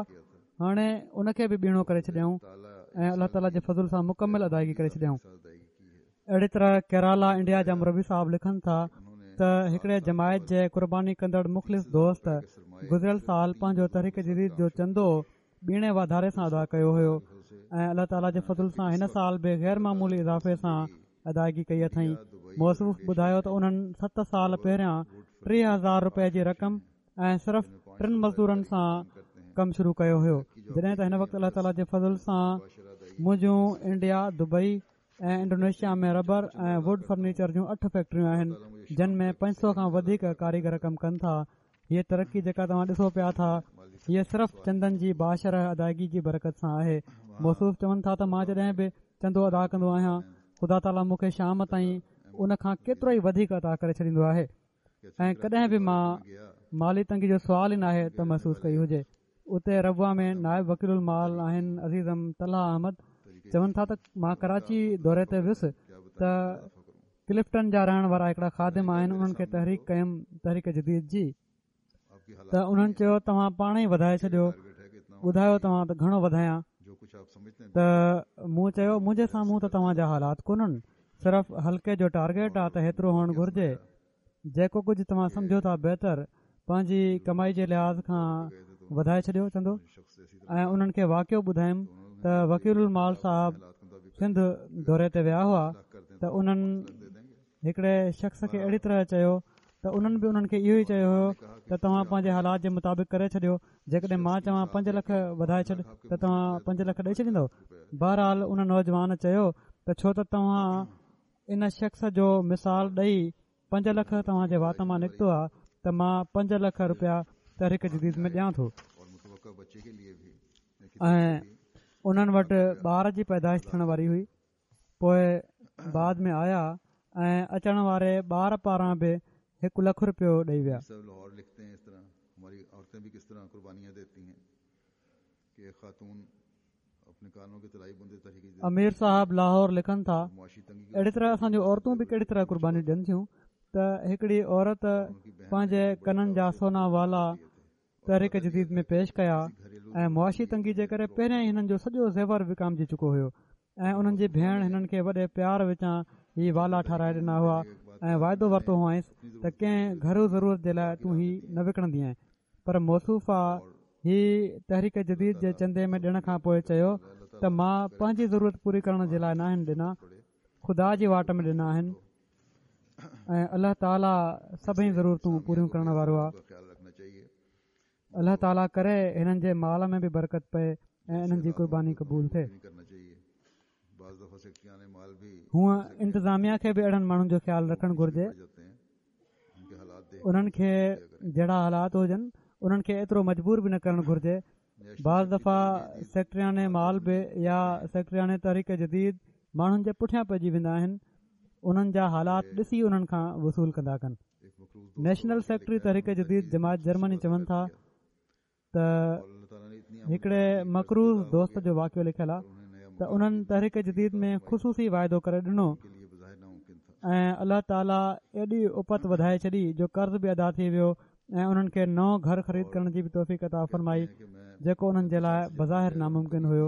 هاڻي ان کي به ٻيڻو ڪري ڇڏيائون ۽ الله تعاليٰ جي فضل سان مڪمل ادائگي ڪري ڇڏيائون. اهڙي طرح ڪيرالا انڊيا جا مربي صاحب لکن ٿا ته هڪڙي جماعت جي قرباني ڪندڙ مخلص دوست گذريل سال پنهنجو تحريڪ جديد جو چندو ٻيڻي واڌاري سان ادا ڪيو هيو ۽ الله تعاليٰ جي فضل سان هن سال به غير معمولي اضافي سان ادائگي ڪئي اٿئين. موصوف ٻڌايو ته انهن ست سال پهريان ٽيهه هزار رپئي جي رقم ۽ صرف ٽن مزدورن سان ڪم شروع ڪيو هيو، جڏهن ته هن وقت الله تعاليٰ جي فضل سان منهنجون India, Dubai ۽ Indonesia ۾ rubber ۽ wood furniture جون اٺ فيڪٽريون آهن، جن ۾ پنج سؤ کان وڌيڪ ڪاريگر ڪم ڪن ٿا. هيءَ ترقي جيڪا توهان ڏسو پيا ٿا هيءَ صرف چندن جي باشرح ادائگي جي برڪت سان آهي. موصوف چون ٿا ته مان جڏهن به چندو ادا ڪندو آهيان خدا تعاليٰ مون کي شام تائين ان کان ڪيترو ئي وڌيڪ عطا ڪري ڇڏيندو آهي. ۽ ڪڏهن به مان مالي تنگي جو سوال ئي ناهي ته محسوس ڪئي هجي. اتي ربوه ۾ نائب وڪيل المال آهن عزيزم طلحه احمد، چون ٿا ته مان ڪراچي دوري تي ويس ته ڪلفٽن جا رهڻ وارا هڪڙا خادم آهن، انهن کي تحريڪ ڪيم تحريڪ جديد جي، ته انهن چيو توهان پاڻ ئي وڌائي ڇڏيو، ٻڌايو توهان ته گهڻو وڌايان؟ ته مون چيو منهنجي سامهون ته توهان جا حالات ڪونهن، صرف حلقي جو ٽارگيٽ آ ته هيترو هئڻ گهرجي، جيڪو ڪجهه توهان سمجهو ٿا بهتر پنهنجي ڪمائي جي لحاظ کان وڌائي ڇڏيو چندو. ۽ انهن کي واقعو ٻڌايم ته وڪيل المال صاحب سنڌ دوري تي ويا هئا ته انهن هڪڙي شخص کي اهڙي طرح چيو ته انهن به انهن کي اهو ئي چيو هيو ته توهان پنهنجي حالات جي مطابق ڪري ڇڏيو، جيڪڏهن مان چوان پنج لک وڌائي ڇڏ ته توهان پنج لک ڏئي ڇڏيندؤ؟ بهرحال ان نوجوان چيو ته ڇو ته توهان ان شخص جو مثال ڏئي پنج لک توهان جي وات مان نڪتو آهي ته مان پنج لک رپيا تحريڪ جديد ۾ ڏيان ٿو. ۽ انهن وٽ ٻار جي پيدائش ٿيڻ واري هئي، پوءِ بعد ۾ آيا ۽ اچڻ واري ٻار پاران به هڪ لک رپيو ڏئي ويا. امير صاحب لاهور لکن ٿا، اهڙي طرح اسان جون عورتون به ڪهڙي طرح قربانيون ڏين ٿيون ته هڪڙي عورت پنهنجي ڪنن جا سونا والا تحريڪ جديد ۾ پيش ڪيا ۽ معاشي تنگي جي ڪري پهريان ئي هنن جو سڄو زيور وڪامجي چڪو هيو ۽ انهن جي ڀيڻ هنن کي وڏي پيار وچان هي والا ٺاراهي ڏنا هئا ۽ واعدو ورتو هئائينس ته ڪنهن گهرو ضرورت جي لاءِ تون هي نه وڪڻندينءَ، پر موصوفه هي تحريڪ جديد جي چندي ۾ ڏيڻ کان پوءِ چيو ته مان پنهنجي ضرورت پوري ڪرڻ جي لاءِ ناهن ڏنا، خدا جي واٽ ۾ ڏنا آهن ۽ الله تعاليٰ سڀئي ضرورتون پوريون ڪرڻ وارو آهي. الله تعاليٰ ڪري هنن جي مال ۾ به برڪت پئي ۽ انهن جي قرباني قبول ٿئي. هونءَ انتظاميا کي به اهڙن ماڻهن جو خيال رکڻ گهرجي، انهن کي جهڙا حالات هجن انهن کي ايترو مجبور به نه ڪرڻ گهرجي. بعض دفعا سيڪريٽريان مال به يا سيڪريٽريان تحريڪ جديد ماڻهن جي پٺيان پئجي ويندا آهن، انهن جا حالات ڏسي انهن کان وصول ڪندا ڪن. نيشنل سيڪريٽري تحريڪ جديد جماعت جرمني چون ٿا ته هڪڙي مقروض دوست جو واقعو لکيل آهي ته انهن تحريڪ جديد ۾ خصوصي واعدو ڪري ڏنو ۽ الله تعاليٰ ايڏي اپت وڌائي ڇڏي جو قرض به ادا ٿي ويو ۽ انهن کي نئون گهر خريد ڪرڻ جي به توفيق عطا فرمائي جيڪو انهن جي لاءِ بظاهر ناممڪن هيو.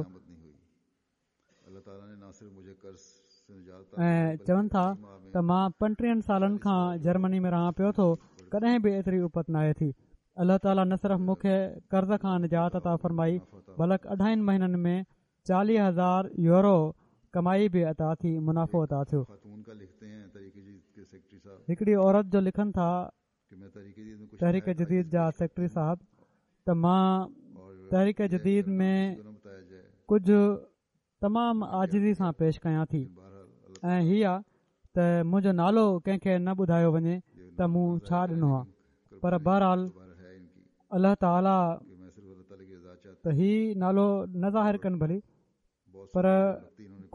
۽ چون ٿا ته مان پنٽيهن سالن کان جرمني ۾ رهان پيو ٿو، ڪڏهن به ايتري اپت ناهي ٿي. الله تعاليٰ نه صرف مون کي قرض کان نجات عطا فرمائي بلڪ اڍائن مهينن ۾ چاليهه هزار يورو ڪمائي به عطا ٿي، منافعو عطا ٿيو. هڪڙي عورت جو لکن ٿا تحريڪ جديد جا سيڪريٽري صاحب ته مان تحريڪ جديد ۾ ڪجهه تمام عاجزي سان پيش ڪيان ٿي ۽ هي آ ته منهنجو نالو ڪنهن کي نه ٻڌايو وڃي ته مون ڇا ڏنو آ، پر بهرحال الله تعاليٰ ته هي نالو نه ظاهر ڪن ڀلي، پر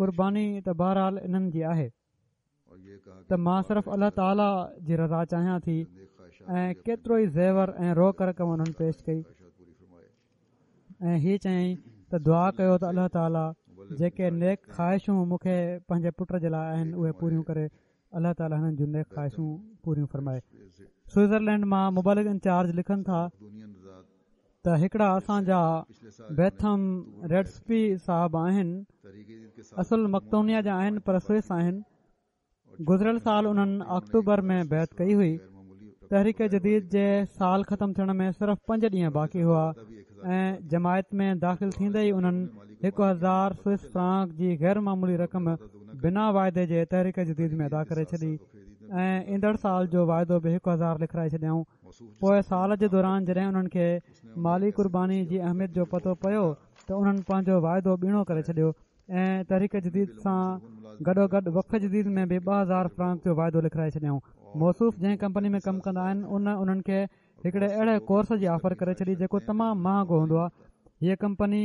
قرباني ته بهرحال انهن جي آهي ته مان صرف الله تعاليٰ جي رضا چاهيان ٿي. ۽ ڪيترو ئي زيور ۽ روڪ رقم انهن پيش ڪئي ۽ هي چيائين ته دعا ڪيو ته الله تعاليٰ جيڪي نيڪ خواهشون مون کي پنهنجي پٽ جي لاءِ آهن اهي پوريون ڪري. الله تعاليٰ هنن جون نيڪ خواهشون پوريون فرمائي. سوئٽزرلينڊ مان مبلغ انچارج لکن ٿا ته هڪڙا اسان جا بيٿم ريڊسپي صاحب آهن، اصل مقدونيا جا آهن پر سوئس آهن. گذريل سال انهن آڪٽوبر ۾ بيعت ڪئي هئي. تحريڪ جديد جي سال ختم ٿيڻ ۾ صرف پنج ڏينهن باقي هئا ۽ جماعت ۾ داخل ٿيندي ئي انهن هڪ هزار سوئس فرانڪ جي غير معمولي رقم بنا واعدي جي تحريڪ جديد ۾ ادا ڪري ڇڏي ۽ ايندڙ سال جو واعدو به هڪ هزار لکرائي ڇڏيائون. پوءِ سال جي دوران جڏهن انهن کي مالي قرباني جي اهميت جو پتو پيو ته انهن پنهنجو واعدو ٻيڻو ڪري ڇڏيو ۽ تحريڪ جديد سان گڏوگڏ وقف جديد ۾ به ٻه هزار فرانڪ جو واعدو لکرائي ڇڏيائون. موصوف جنهن ڪمپني ۾ ڪم ڪندا آهن ان انهن کي هڪڙي اهڙي ڪورس جي آفر ڪري ڇڏي جيڪو تمام مهانگو هوندو آهي. هيءَ ڪمپني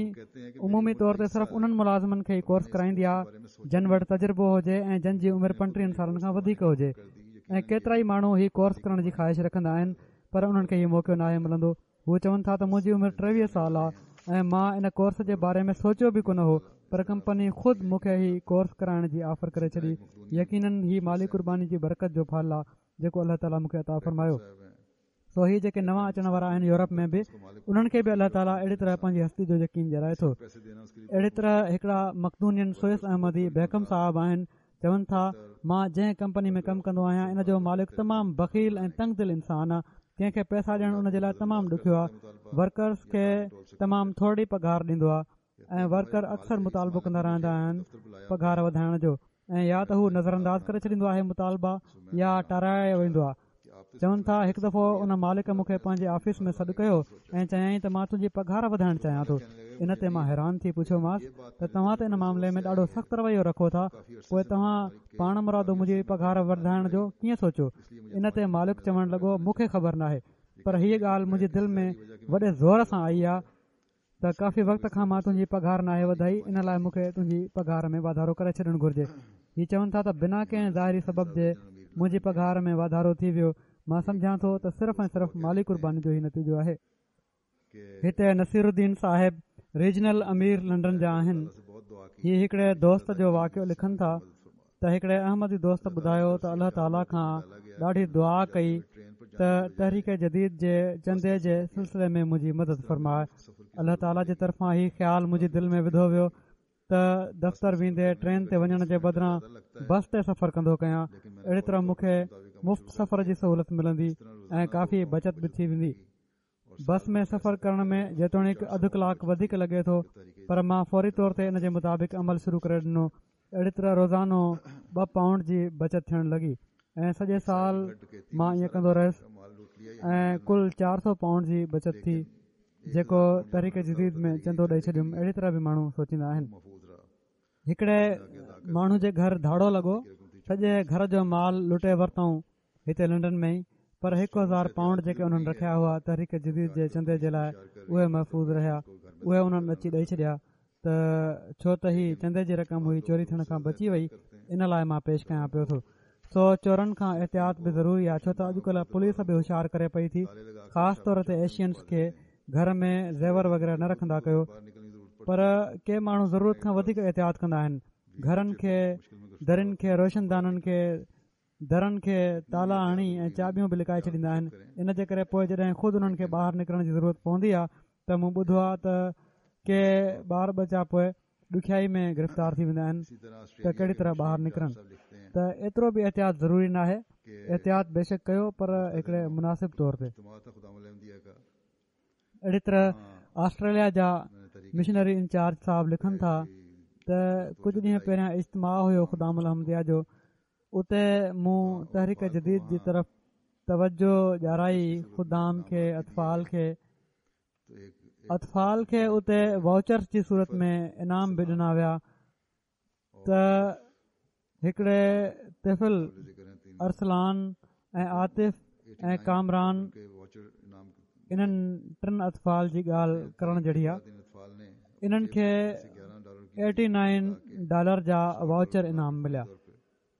عمومي طور تي صرف انهن ملازمن کي ئي ڪورس ڪرائيندي آهي جن وٽ تجربو هجي ۽ جن جي عمر پنٽيهن سالن کان وڌيڪ هجي. ۽ ڪيترائي ماڻهو هي ڪورس ڪرڻ جي خواهش رکندا آهن پر انهن کي هي موقعو ناهي ملندو. هو چون ٿا ته منهنجي عمر ٽيويهه سال آهي ۽ مان ان ڪورس جي باري ۾ سوچيو به ڪونه هو، پر ڪمپني خود مون کي هي ڪورس ڪرائڻ جي آفر ڪري ڇڏي. يقينن هي مالي قرباني جي برڪت جو ڦل آهي جيڪو الله تعاليٰ مون کي عطا فرمايو. سو هي جيڪي نوان اچڻ وارا آهن يورپ ۾ به، انهن کي به الله تعاليٰ اهڙي طرح پنهنجي هستي جو يقين ڏيارائي ٿو. اهڙي طرح هڪڙا مقدونين سوئس احمدي بيڪم صاحب آهن، چون ٿا مان جنهن ڪمپني ۾ ڪم ڪندو آهيان ان جو مالڪ تمام بخيل ۽ تنگ دل انسان آهي. ڪنهن کي پئسا ڏيڻ ان جي لاء تمام ڏکيو آهي. ورڪرز کي تمام ٿورڙي پگهار ڏيندو آهي ۽ ورڪر اڪثر مطالبو ڪندا رهندا آهن پگهار وڌائڻ جو، ۽ يا ته هو نظرانداز ڪري ڇڏيندو آهي مطالبا يا ٽارائي ويندو آهي. چون ٿا هڪ دفعو ان مالڪ مون کي پنهنجي آفيس ۾ سڏ ڪيو ۽ چيائين ته مان تنهنجي پگهار وڌائڻ چاهيان ٿو. ان تي مان حيران ٿي پڇيومانس ته توهان ته ان معاملي ۾ ڏاڍو سخت رويو رکو ٿا، پوء توهان پاڻ مرادو منهنجي پگهار وڌائڻ جو ڪيئن سوچيو؟ ان تي مالڪ چوڻ لڳو مون کي خبر ناهي، پر هيء ڳالهه منهنجي دل ۾ وڏي زور سان آئي آهي ته ڪافي وقت کان مان تنهنجي پگهار ناهي وڌائي، ان لاء مون کي تنهنجي پگهار ۾ واڌارو ڪري ڇڏڻ گهرجي. هي چون ٿا ته بنا ڪنهن ظاهري سبب جي منهنجي پگهار ۾ واڌارو ٿي ويو. مان سمجهان ٿو ته صرف ۽ صرف مالي قرباني جو هي نتيجو آهي. هتي نصير الدين صاحب ريجنل امير لنڊن جا آهن. هي هڪڙي دوست جو واقعو لکن ٿا ته هڪڙي احمدي دوست ٻڌايو ته الله تعاليٰ کان ڏاڍي دعا ڪئي ته تحريڪ جديد جي چندي جي سلسلي ۾ منهنجي مدد فرماء. الله تعاليٰ جي طرفان هي خيال منهنجي دل ۾ وڌو ويو ته دفتر ويندي ٽرين تي وڃڻ جي بدران بس تي سفر ڪندو ڪيان. اهڙي طرح مون کي مفت سفر جي سهولت ملندي ۽ ڪافي بچت به ٿي ويندي. بس ۾ سفر ڪرڻ ۾ جيتوڻيڪ اڌ ڪلاڪ وڌيڪ لڳي ٿو، پر مان فوري طور تي ان جي مطابق عمل شروع ڪري ڏنو. اهڙي طرح روزانو ٻه پائونڊ جي بچت ٿيڻ لڳي ۽ سڄي سال مان ائين ڪندو رهيس ۽ ڪل چار سؤ پائونڊ جي بچت ٿي، جيڪو تحريڪ جديد ۾ چندو ڏئي ڇڏيم. اهڙي طرح به ماڻهو سوچيندا آهن. هڪڙي ماڻهو جي گهر ڌاڙو لڳو، سڄي گهر جو مال لٽي ورتائون هتي لنڊن ۾ ئي، پر هڪ هزار پائونڊ جيڪي انهن رکيا هئا تحريڪ جديد جي چندي جي لاء اهي محفوظ رهيا. اهي انهن اچي ڏئي ڇڏيا ته ڇو ته هي چندي جي رقم هئي، چوري ٿيڻ کان بچي وئي، ان لاء مان پيش ڪيان پيو ٿو. سو چورن کان احتياط به ضروري آهي، ڇو ته اڄڪلهه پوليس به هوشيار ڪري پئي ٿي، خاص طور تي ايشينز کي گهر ۾ زيور وغيره نه رکندا ڪيو. پر ڪي ماڻهو ضرورت کان وڌيڪ احتياط ڪندا آهن، گهرن کي، درين کي، روشندانن کي، درن کي تالا هڻي ۽ چاٻيون به لڪائي ڇڏيندا آهن. ان جي ڪري پوءِ جڏهن خود انهن کي ٻاهر نڪرڻ جي ضرورت پوندي آهي ته مون ٻڌو آهي ته ڪي ٻار ٻچا پوءِ ڏکيائي ۾ گرفتار ٿي ويندا آهن ته ڪهڙي طرح ٻاهر نڪرن. ته ايترو به احتياط ضروري ناهي. احتياط بيشڪ ڪيو پر هڪڙي مناسب طور تي. اهڙي طرح آسٽريليا جا مشنري انچارج صاحب لکن ٿا ته ڪجهه ڏينهن پهريان اجتماع هيو خدام الاحمديه جو، اتي مون تحريڪ جديد جي طرف توجه ڏيارائي خدام کي، اطفال کي. اطفال کي اتي واؤچرس جي صورت ۾ انعام به ڏنا ويا ته هڪڙي طفل ارسلان ۽ عاطف ۽ ڪامران، انهن ٽن اطفال جي ڳالهه ڪرڻ جهڙي آهي، انهن کي ايٽي نائن ڊالر جا واؤچر انعام مليا.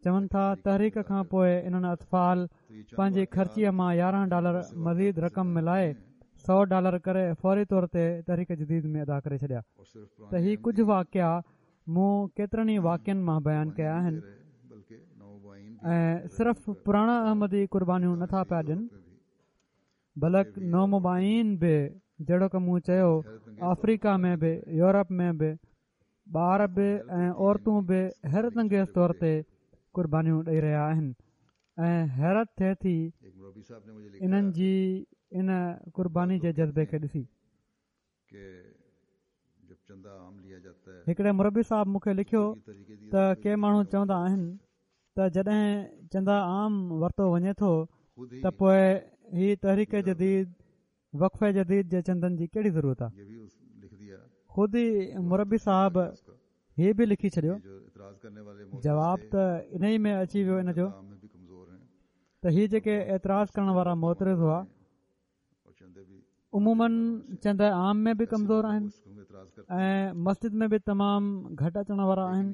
چون ٿا تحريڪ کان پوءِ انهن اطفال پنهنجي خرچيءَ مان يارهن ڊالر مزيد رقم ملائي سؤ ڊالر ڪري فوري طور تي تحريڪ جديد ۾ ادا ڪري ڇڏيا. ته هي ڪجهه واقعا مون ڪيترن ئي واقعن مان بيان ڪيا آهن ۽ صرف پراڻا احمدي قربانيون نٿا پيا ڏين، بلڪ نومبائعين به، جهڙوڪ مون چيو آفريڪا ۾ به، يورپ ۾ به ٻار به ۽ عورتون به حيرت انگيز طور تي قربانيون ڏئي رهيا آهن ۽ حيرت ٿئي ٿي انهن جي ان قرباني جي جذبي کي ڏسي. هڪڙي مربي صاحب مون کي لکيو ته ڪي ماڻهو چوندا آهن ته جڏهن چندا عام ورتو وڃي ٿو ته پوءِ هي تحريڪ جديد، وقف جديد جي چندن جي ڪهڙي ضرورت آهي؟ خود ئي مربي صاحب هي به لکي ڇڏيو. جواب ته انهي ۾ اچي ويو ان جو ته هي جيڪي اعتراض ڪرڻ وارا معترض هئا، عموماً چنده عام ۾ به ڪمزور آهن ۽ مسجد ۾ به تمام گهٽ اچڻ وارا آهن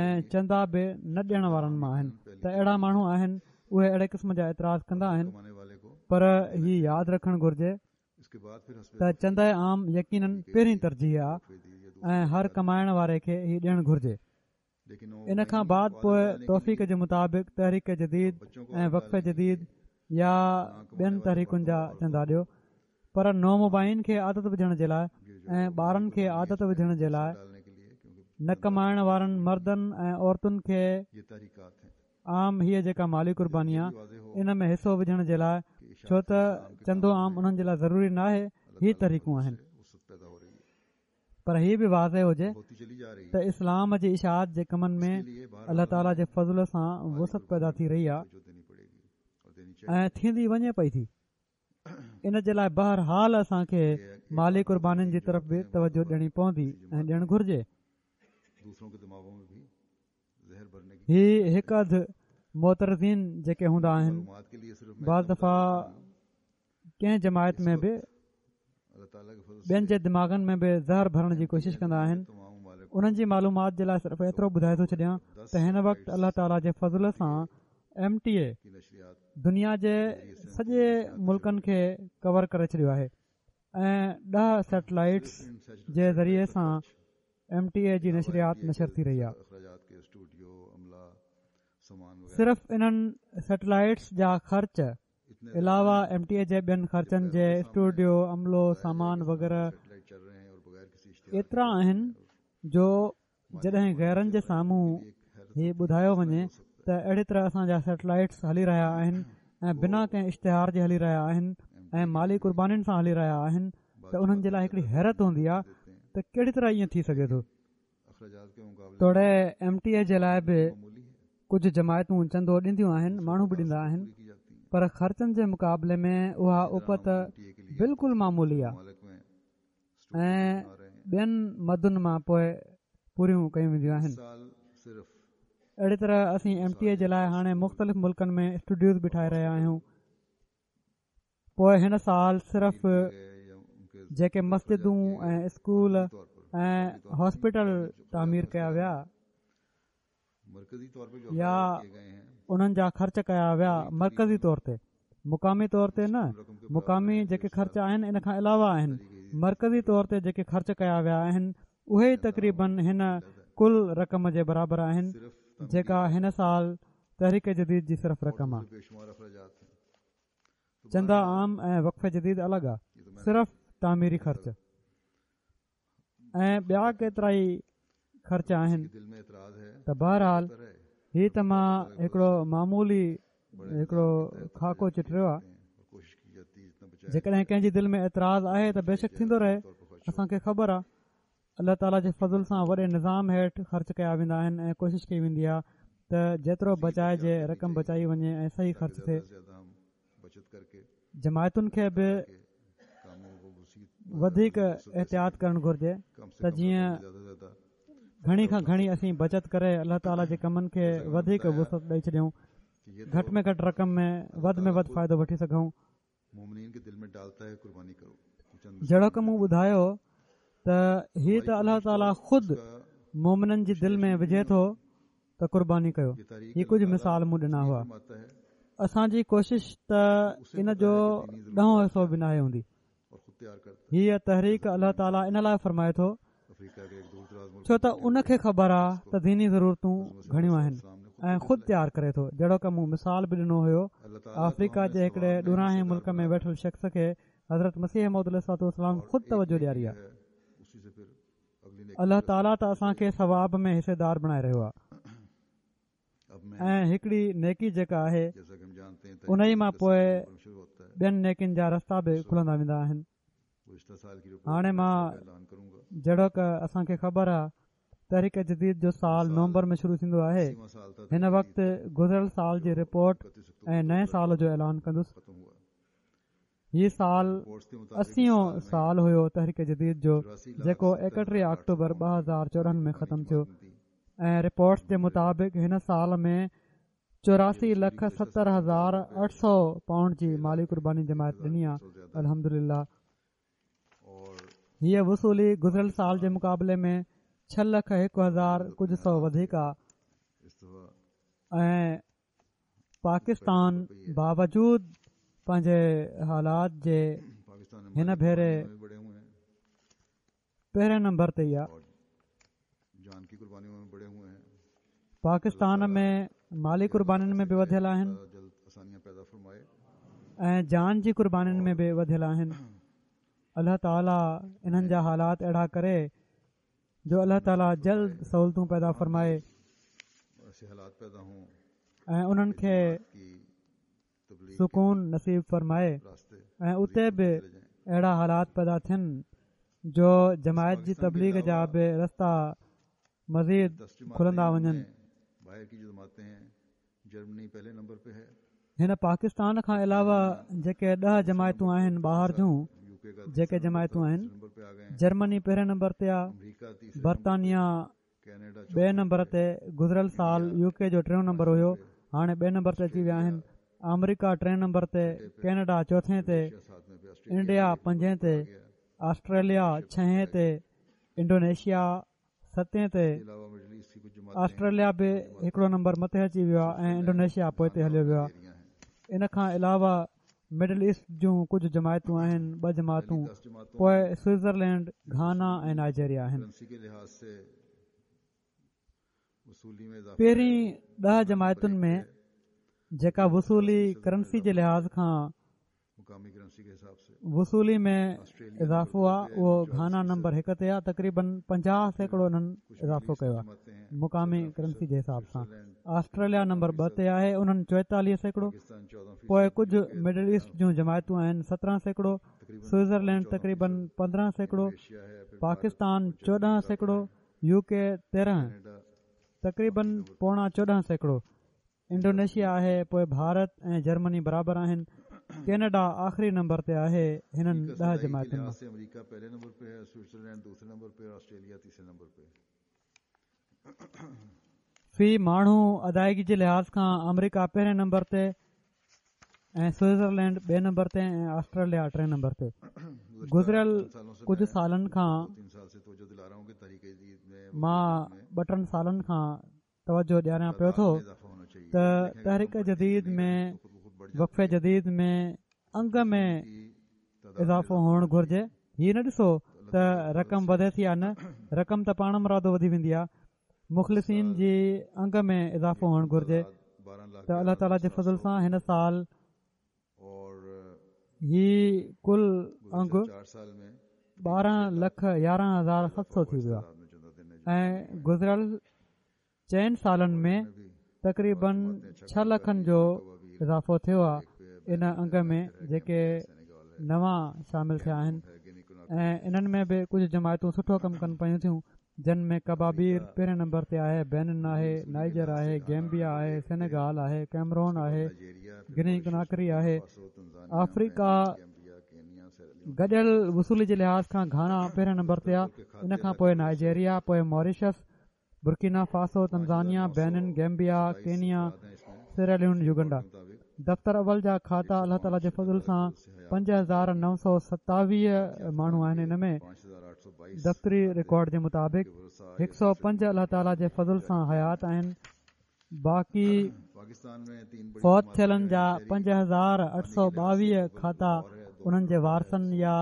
۽ چندا به نه ڏيڻ وارن مان آهن. ته اهڙا ماڻهو آهن، اهي اهڙي قسم جا اعتراض ڪندا آهن، پر هي ياد رکڻ گهرجي ته چنده عام يقينن پهرين ترجيح آهي ۽ هر ڪمائڻ واري کي هي ڏيڻ گهرجي. ان کان بعد پوءِ توفيق جي مطابق تحريڪ جديد ۽ وقف جديد يا ٻين تحريڪن جا چندا ڏيو، پر نومبائعين کي عادت وجهڻ جي لاءِ ۽ ٻارن کي عادت وجهڻ جي لاءِ نه ڪمائڻ وارن مردن ۽ عورتن کي عام هيءَ جيڪا مالي قرباني آهي ان ۾ حصو وجهڻ جي لاءِ، ڇو ته چندو عام انهن جي لاءِ ضروري نه آهي، هي تحريڪون آهن. پر هي به واضح هجي ته اسلام جي اشاعت جي ڪمن ۾ الله تعاليٰ جي فضل سان وسعت پيدا ٿي رهي آهي ۽ ٿيندي وڃي پئي ٿي. ان جي لاءِ بهرحال اسان کي مالي قربانين جي طرف به توجه ڏيڻي پوندي ۽ ڏيڻ گهرجي. هي هڪ اڌ معترضين جيڪي هوندا آهن، بعض دفعا ڪنهن جماعت ۾ به ٻين جي دماغن ۾ به زهر ڀرڻ جي ڪوشش ڪندا آهن. انهن جي معلومات جي لاءِ صرف ايترو ٻڌائي ٿو ڇڏيان ته هن وقت الله تعاليٰ جي فضل سان ايم ٽي اي دنيا جي سڄي ملڪن کي ڪور ڪري ڇڏيو آهي ۽ ڏهه سيٽلائيٽس جي ذريعي سان ايم ٽي اي جي نشريات نشر ٿي رهي آهي. صرف انهن سيٽلائيٽس جا خرچ علاوه ايم ٽي اي جي ٻين خرچن جي اسٽوڊيو، عملو، سامان وغيره ايترا آهن جو جڏهن غيرن جي سامهون هي ٻڌايو وڃي ته اهڙي طرح اسان جا سيٽلائيٽس هلي رهيا آهن ۽ بنا ڪنهن اشتهار جي هلي رهيا آهن ۽ مالي قربانين سان هلي رهيا آهن، ته انهن جي لاءِ هڪڙي حيرت هوندي آهي ته ڪهڙي طرح ائين ٿي سگهي ٿو. توڙي ايم ٽي اي جي لاءِ به ڪجهه جماعتون چندو ڏينديون آهن، ماڻهو به ڏيندا آهن، پر خرچن جي مقابلي ۾ اها اپت بلڪل معمولي آهي ۽ ٻين مدن مان پوءِ پوريون ڪيون وينديون آهن. اهڙي طرح اسين ايم ٽي اي جي لاءِ هاڻي مختلف ملڪن ۾ اسٽوڊيوز به ٺاهي رهيا آهيون. پوءِ هن سال صرف جيڪي مسجدون ۽ اسڪول ۽ هاسپيٽل تعمير ڪيا ويا يا انهن جا خرچ ڪيا ويا مرڪزي طور تي، مقامي طور تي نه، مقامي جيڪي خرچ آهن ان کان علاوه آهن، مرڪزي طور تي جيڪي خرچ ڪيا ويا آهن اهي ئي تقريبن هن ڪل رقم جي برابر آهن جيڪا هن سال تحريڪ جديد جي صرف رقم آهي. چنده عام ۽ وقف جديد الڳ آهي، صرف تعميري خرچ ۽ ٻيا ڪيترا ئي خرچ آهن. ته بهرحال هي ته مان هڪڙو معمولي هڪڙو خاڪو چٽريو آهي. جيڪڏهن ڪنهن جي دل ۾ اعتراض آهي ته بيشڪ ٿيندو رهي، اسان کي خبر آهي. الله تعاليٰ جي فضل سان وڏي نظام هيٺ خرچ ڪيا ويندا آهن ۽ ڪوشش ڪئي ويندي آهي ته جيترو بچائجي رقم بچائي وڃي ۽ صحيح خرچ ٿئي. جماعتن کي به وڌيڪ احتياط ڪرڻ گهرجي ته جيئن گهڻي کان گهڻي اسين بچت ڪري الله تعاليٰ جي ڪمن کي وڌيڪ وسعت ڏئي ڇڏيون، گهٽ ۾ گهٽ رقم ۾ وڌ ۾ وڌ فائدو وٺي سگهون. جهڙوڪ مون ٻڌايو ته هي ته الله تعاليٰ خود مومنن جي دل ۾ وجهي ٿو ته قرباني ڪيو. هي ڪجهه مثال مون ڏنا هئا. اسان جي ڪوشش ته ان جو ڏهون حصو به ناهي هوندي. هيءَ تحريڪ الله تعاليٰ ان لاءِ فرمائي ٿو ڇو ته ان کي خبر آهي ته ديني ضرورتون گهڻيون آهن ۽ خود تيار ڪري ٿو. جهڙوڪ مون مثال به ڏنو هيو، آفريڪا جي هڪڙي ڏورانهين ملڪ ۾ ويٺل شخص کي حضرت مسيح موعود عليه الصلوة والسلام خود توجه ڏياري آهي. الله تعاليٰ ته اسان کي ثواب ۾ حصيدار بڻائي رهيو آهي ۽ هڪڙي نيڪي جيڪا آهي ان ئي مان پوءِ ٻين نيڪين جا رستا به کلندا ويندا آهن. هاڻي مان جهڙوڪ اسان کي خبر آهي تحريڪ جديد جو سال نومبر ۾ شروع ٿيندو آهي. هن وقت گذريل سال جي رپورٽ ۽ نئين سال جو اعلان ڪندس. هي سال اسيون سال هيو تحريڪ جديد جو، جيڪو ايڪٽيهه آڪٽوبر ٻه هزار چوڏهن ۾ ختم ٿيو ۽ رپورٽس جي مطابق هن سال ۾ چوراسي لک ستر هزار اٺ سؤ پائونڊ جي مالي قرباني جماعت ڏني آهي. الحمدلله هيءَ وصولي گذريل سال جي مقابلي ۾ ڇهه لک هڪ هزار ڪجهه سؤ وڌيڪ آهي ۽ پاڪستان باوجود پنهنجي حالات جي هن ڀيري پهرين نمبر تي ئي آهي. پاڪستان ۾ مالي قربانين ۾ به وڌيل آهن ۽ جان جي قربانين ۾ به وڌيل آهن. الله تعاليٰ انهن جا حالات اهڙا ڪري جو الله تعاليٰ جلد سهولتون پيدا فرمائي ۽ انهن کي سڪون نصيب فرمائي ۽ اتي به اهڙا حالات پيدا ٿين جو جماعت جي تبليغ جا به رستا مزيد کلندا وڃن. هن پاڪستان کان علاوه جيڪي ڏهه جماعتون آهن ٻاهر جون جيڪي جماعتون آهن، جرمني پهرين نمبر تي آهي، برطانيا ٻئي نمبر تي، گذريل سال يو ڪي جو ٽيون نمبر هيو، هاڻي ٻئي نمبر تي اچي ويا آهن، آمريڪا ٽئين نمبر تي، ڪينيڊا چوٿين تي، انڊيا پنجين تي، آسٽريليا ڇهين تي، انڊونيشيا ستين تي، آسٽريليا به هڪڙو نمبر مٿي اچي ويو آهي ۽ انڊونيشيا پوئتي هليو ويو آهي. ان کان علاوه مڊل ايسٽ جون ڪجهه جماعتون آهن، ٻه جماعتون، پوءِ سوئٽزرلينڊ، گهانا ۽ نائجيريا آهن. پهرين ڏهه جماعتن ۾ جيڪا وصولي ڪرنسي جي لحاظ کان وصولي ۾ اضافو آهي اهو گهانا نمبر هڪ تي آهي، تقريبن پنجاهه سيڪڙو انهن اضافو ڪيو آهي مقامي ڪرنسي جي حساب سان. آسٽريليا نمبر ٻه تي آهي، انهن چوئيتاليهه سيڪڙو، پوءِ ڪجهه مڊل ايسٽ جون جماعتون آهن سترهن سيڪڙو، سوئٽزرلينڊ تقريبن پندرهن سيڪڙو، پاڪستان چوڏهن سيڪڙو، يو ڪي تيرهن تقريبن پوڻا چوڏهن سيڪڙو، انڊونيشيا آهي، پوءِ ڀارت ۽ جرمني برابر آهن. ڪينيڊا آخري نمبر تي آهي هنن ڏهه جماعتن مان. في ماڻهو ادائگي جي لحاظ کان آمريڪا پهرين نمبر تي ۽ سوئٽزرلينڊ ٻئي نمبر تي ۽ آسٽريليا ٽئين نمبر تي. گذريل ڪجهه سالن کان مان ٻه ٽن سالن کان توجه ڏياريان پيو ٿو ته تحريڪ جديد ۾ وقف جديد ۾ انگ ۾ اضافو هئڻ گهرجي. هي نه ڏسو ته رقم وڌي ٿي يا نه، رقم ته پاڻ مرادو وڌي ويندي آهي. مخلصين جي انگ ۾ اضافو هئڻ گهرجي ته الله تعاليٰ جي فضل سان هن سال هي ڪل انگ ٻارهن لک يارهن هزار ست سؤ ٿي ويو آهي ۽ گذريل چئن سالن ۾ تقريبن ڇهه لکن جو اضافو ٿيو آهي ان انگ ۾ جيڪي نوان شامل ٿيا آهن ۽ انهن ۾ به ڪجهه جماعتون سٺو ڪم ڪن پيون ٿيون، جن ۾ ڪبابير پهرين نمبر تي آهي، بينن آهي، نائجر آهي، گيمبيا آهي، سينيگال آهي، ڪيمرون آهي، گني ڪناڪري آهي. آفريڪا گڏيل وصولي جي لحاظ کان گهانا پهرين نمبر تي آهي، ان کان پوءِ نائجيريا، پوءِ Mauritius, Burkina Faso, Tanzania, Benin, Gambia, Kenya, Sierra Leone, Uganda. دفتر اول جا کاتا الله تعاليٰ جي فضل سان پنج هزار نو سؤ ستاويهه ماڻهو آهن. ان ۾ دفتري رڪارڊ جي مطابق هڪ سؤ پنج الله تعاليٰ جي فضل سان حيات آهن، باقي فوت ٿيلن جا پنج هزار اٺ سؤ ٻاويهه کاتا انهن جي وارثن يا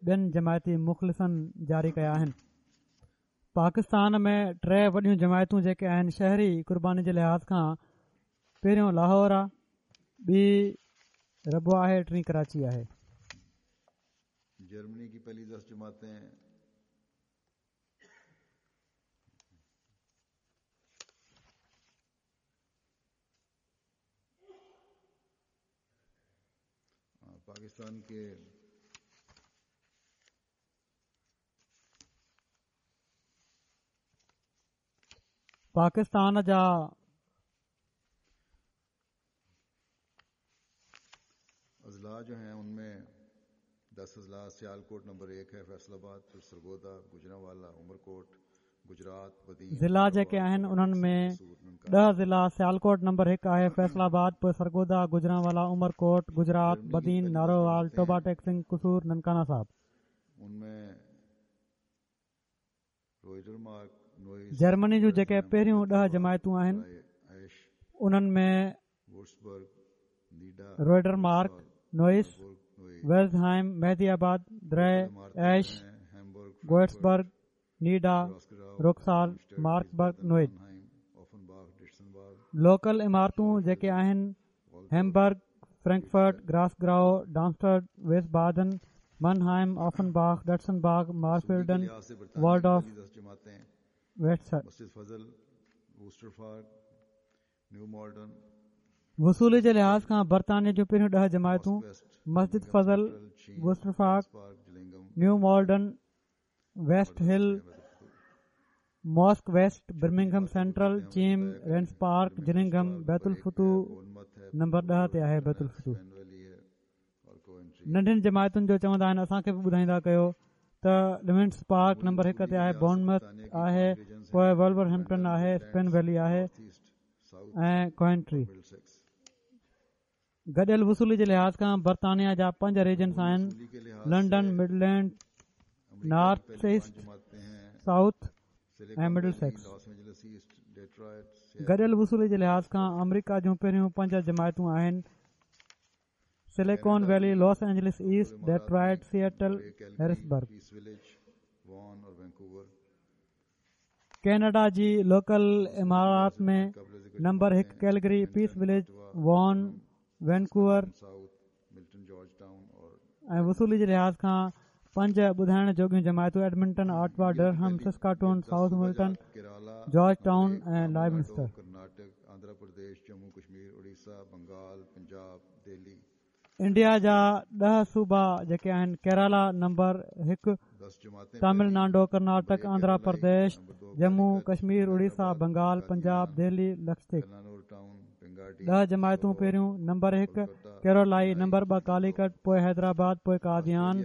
ٻين جماعتي مخلصن جاري ڪيا آهن. پاڪستان ۾ ٽي وڏيون جماعتون جيڪي آهن شهري قرباني جي لحاظ کان، پهريون لاهور آهي، ٻي ربوه آهي، ٽين ڪراچي آهي. جرمني ڪي پهلي دس جماعتين پاڪستان ڪي پاڪستان جا اضلاع جو ہیں ان میں دس اضلاع، سیالکوٹ نمبر ایک ہے، فیصل آباد، پھر سرگودا، گجرانوالا، عمرکوٹ، گجرات، بدین. ضلع جيڪي آهن انهن ۾ ڏهه ضلع، سيالڪوٽ نمبر هڪ آهي، فيصل آباد، پوءِ سرگودا، گجرانوالا، عمرڪوٽ، گجرات، بدين، نارووال، ٽوبا ٽيڪ سنگهه، قصور، ننڪانه صاحب. ان میں روئڊرمارڪ، جرمني جون جيڪي پهريون ڏهه جماعتون آهن انهن ۾ Rödermark, Neuss, Welzheim, Mehdiabad, Drei Ache, Goetzberg, Nidda, Bruchsal, Marburg, Neuwied. Local عمارتون جيڪي آهن Hamburg, Frankfurt, Gross Gerau, Darmstadt, Wiesbaden, Mannheim, Offenbach, Dietzenbach, Marzfelden, Walldorf, West. وصولي جي لحاظ کان برطانيه جون پهريون ڏهه جماعتون Masjid Fazl, Worcester Park, New Malden, West Hill, Mosque West, Birmingham Central, Cheam, Raynes Park, Gillingham, Baitul Futuh number ڏهه تي آهي. بيت الفتوح ننڍين جماعتن جو چوندا آهن اسان کي به ٻڌائيندا ڪيو ته ليونٽس پارڪ نمبر هڪ تي آهي، بورنمٿ آهي، پوءِ ولور هيمپٽن آهي، اسپين ويلي آهي ۽ ڪوينٽري. گڏيل وصولي جي لحاظ کان برطانيه جا پنج ريجنس آهن: London, Midland, North East, South ۽ Middlesex. گڏيل وصولي جي لحاظ کان آمريڪا جون پهريون پنج جماعتون آهن: Silicon Valley, Los Angeles East, Detroit, Seattle, Harrisburg. Canada جي لوڪل امارات ۾ نمبر هڪ Calgary, Peace Village, Vaughan, Vancouver ۽ وصولي جي لحاظ کان پنج ٻڌائڻ جوڳيون جماعتون Edmonton, Ottawa, Durham, Saskatoon, South Milton, Georgetown ۽ Lloydminster. India جا ڏهه صوبا جيڪي آهن: ڪيرالا نمبر هڪ، تامل ناڊو، ڪرناٽڪ، آنڌرا پرديش، ڄمون ڪشمير، اڙيسا، بنگال، پنجاب، دهلي، لڪشديپ. ڏهه جماعتون پهريون نمبر هڪ ڪيرولائي، نمبر ٻه ڪاليڪٽ، پوءِ حيدرآباد، پوءِ قاديان،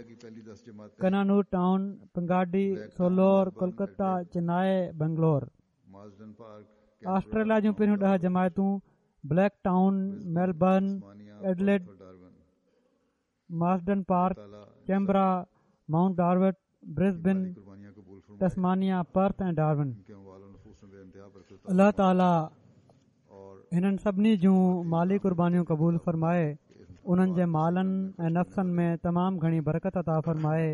ڪنانور ٽائون، پنگاڊي، سولور، ڪولڪتا، چنائي، بنگلور. آسٽريليا جون پهريون ڏهه جماعتون Blacktown, Melbourne, Adelaide, Marsden Park, Canberra, Mount Druitt, Brisbane, Tasmania, Perth ۽ Darwin. الله تعاليٰ هنن سڀني جون مالي قربانيون قبول فرمائي، انهن جي مالن ۽ نفسن ۾ تمام گهڻي برڪت عطا فرمائي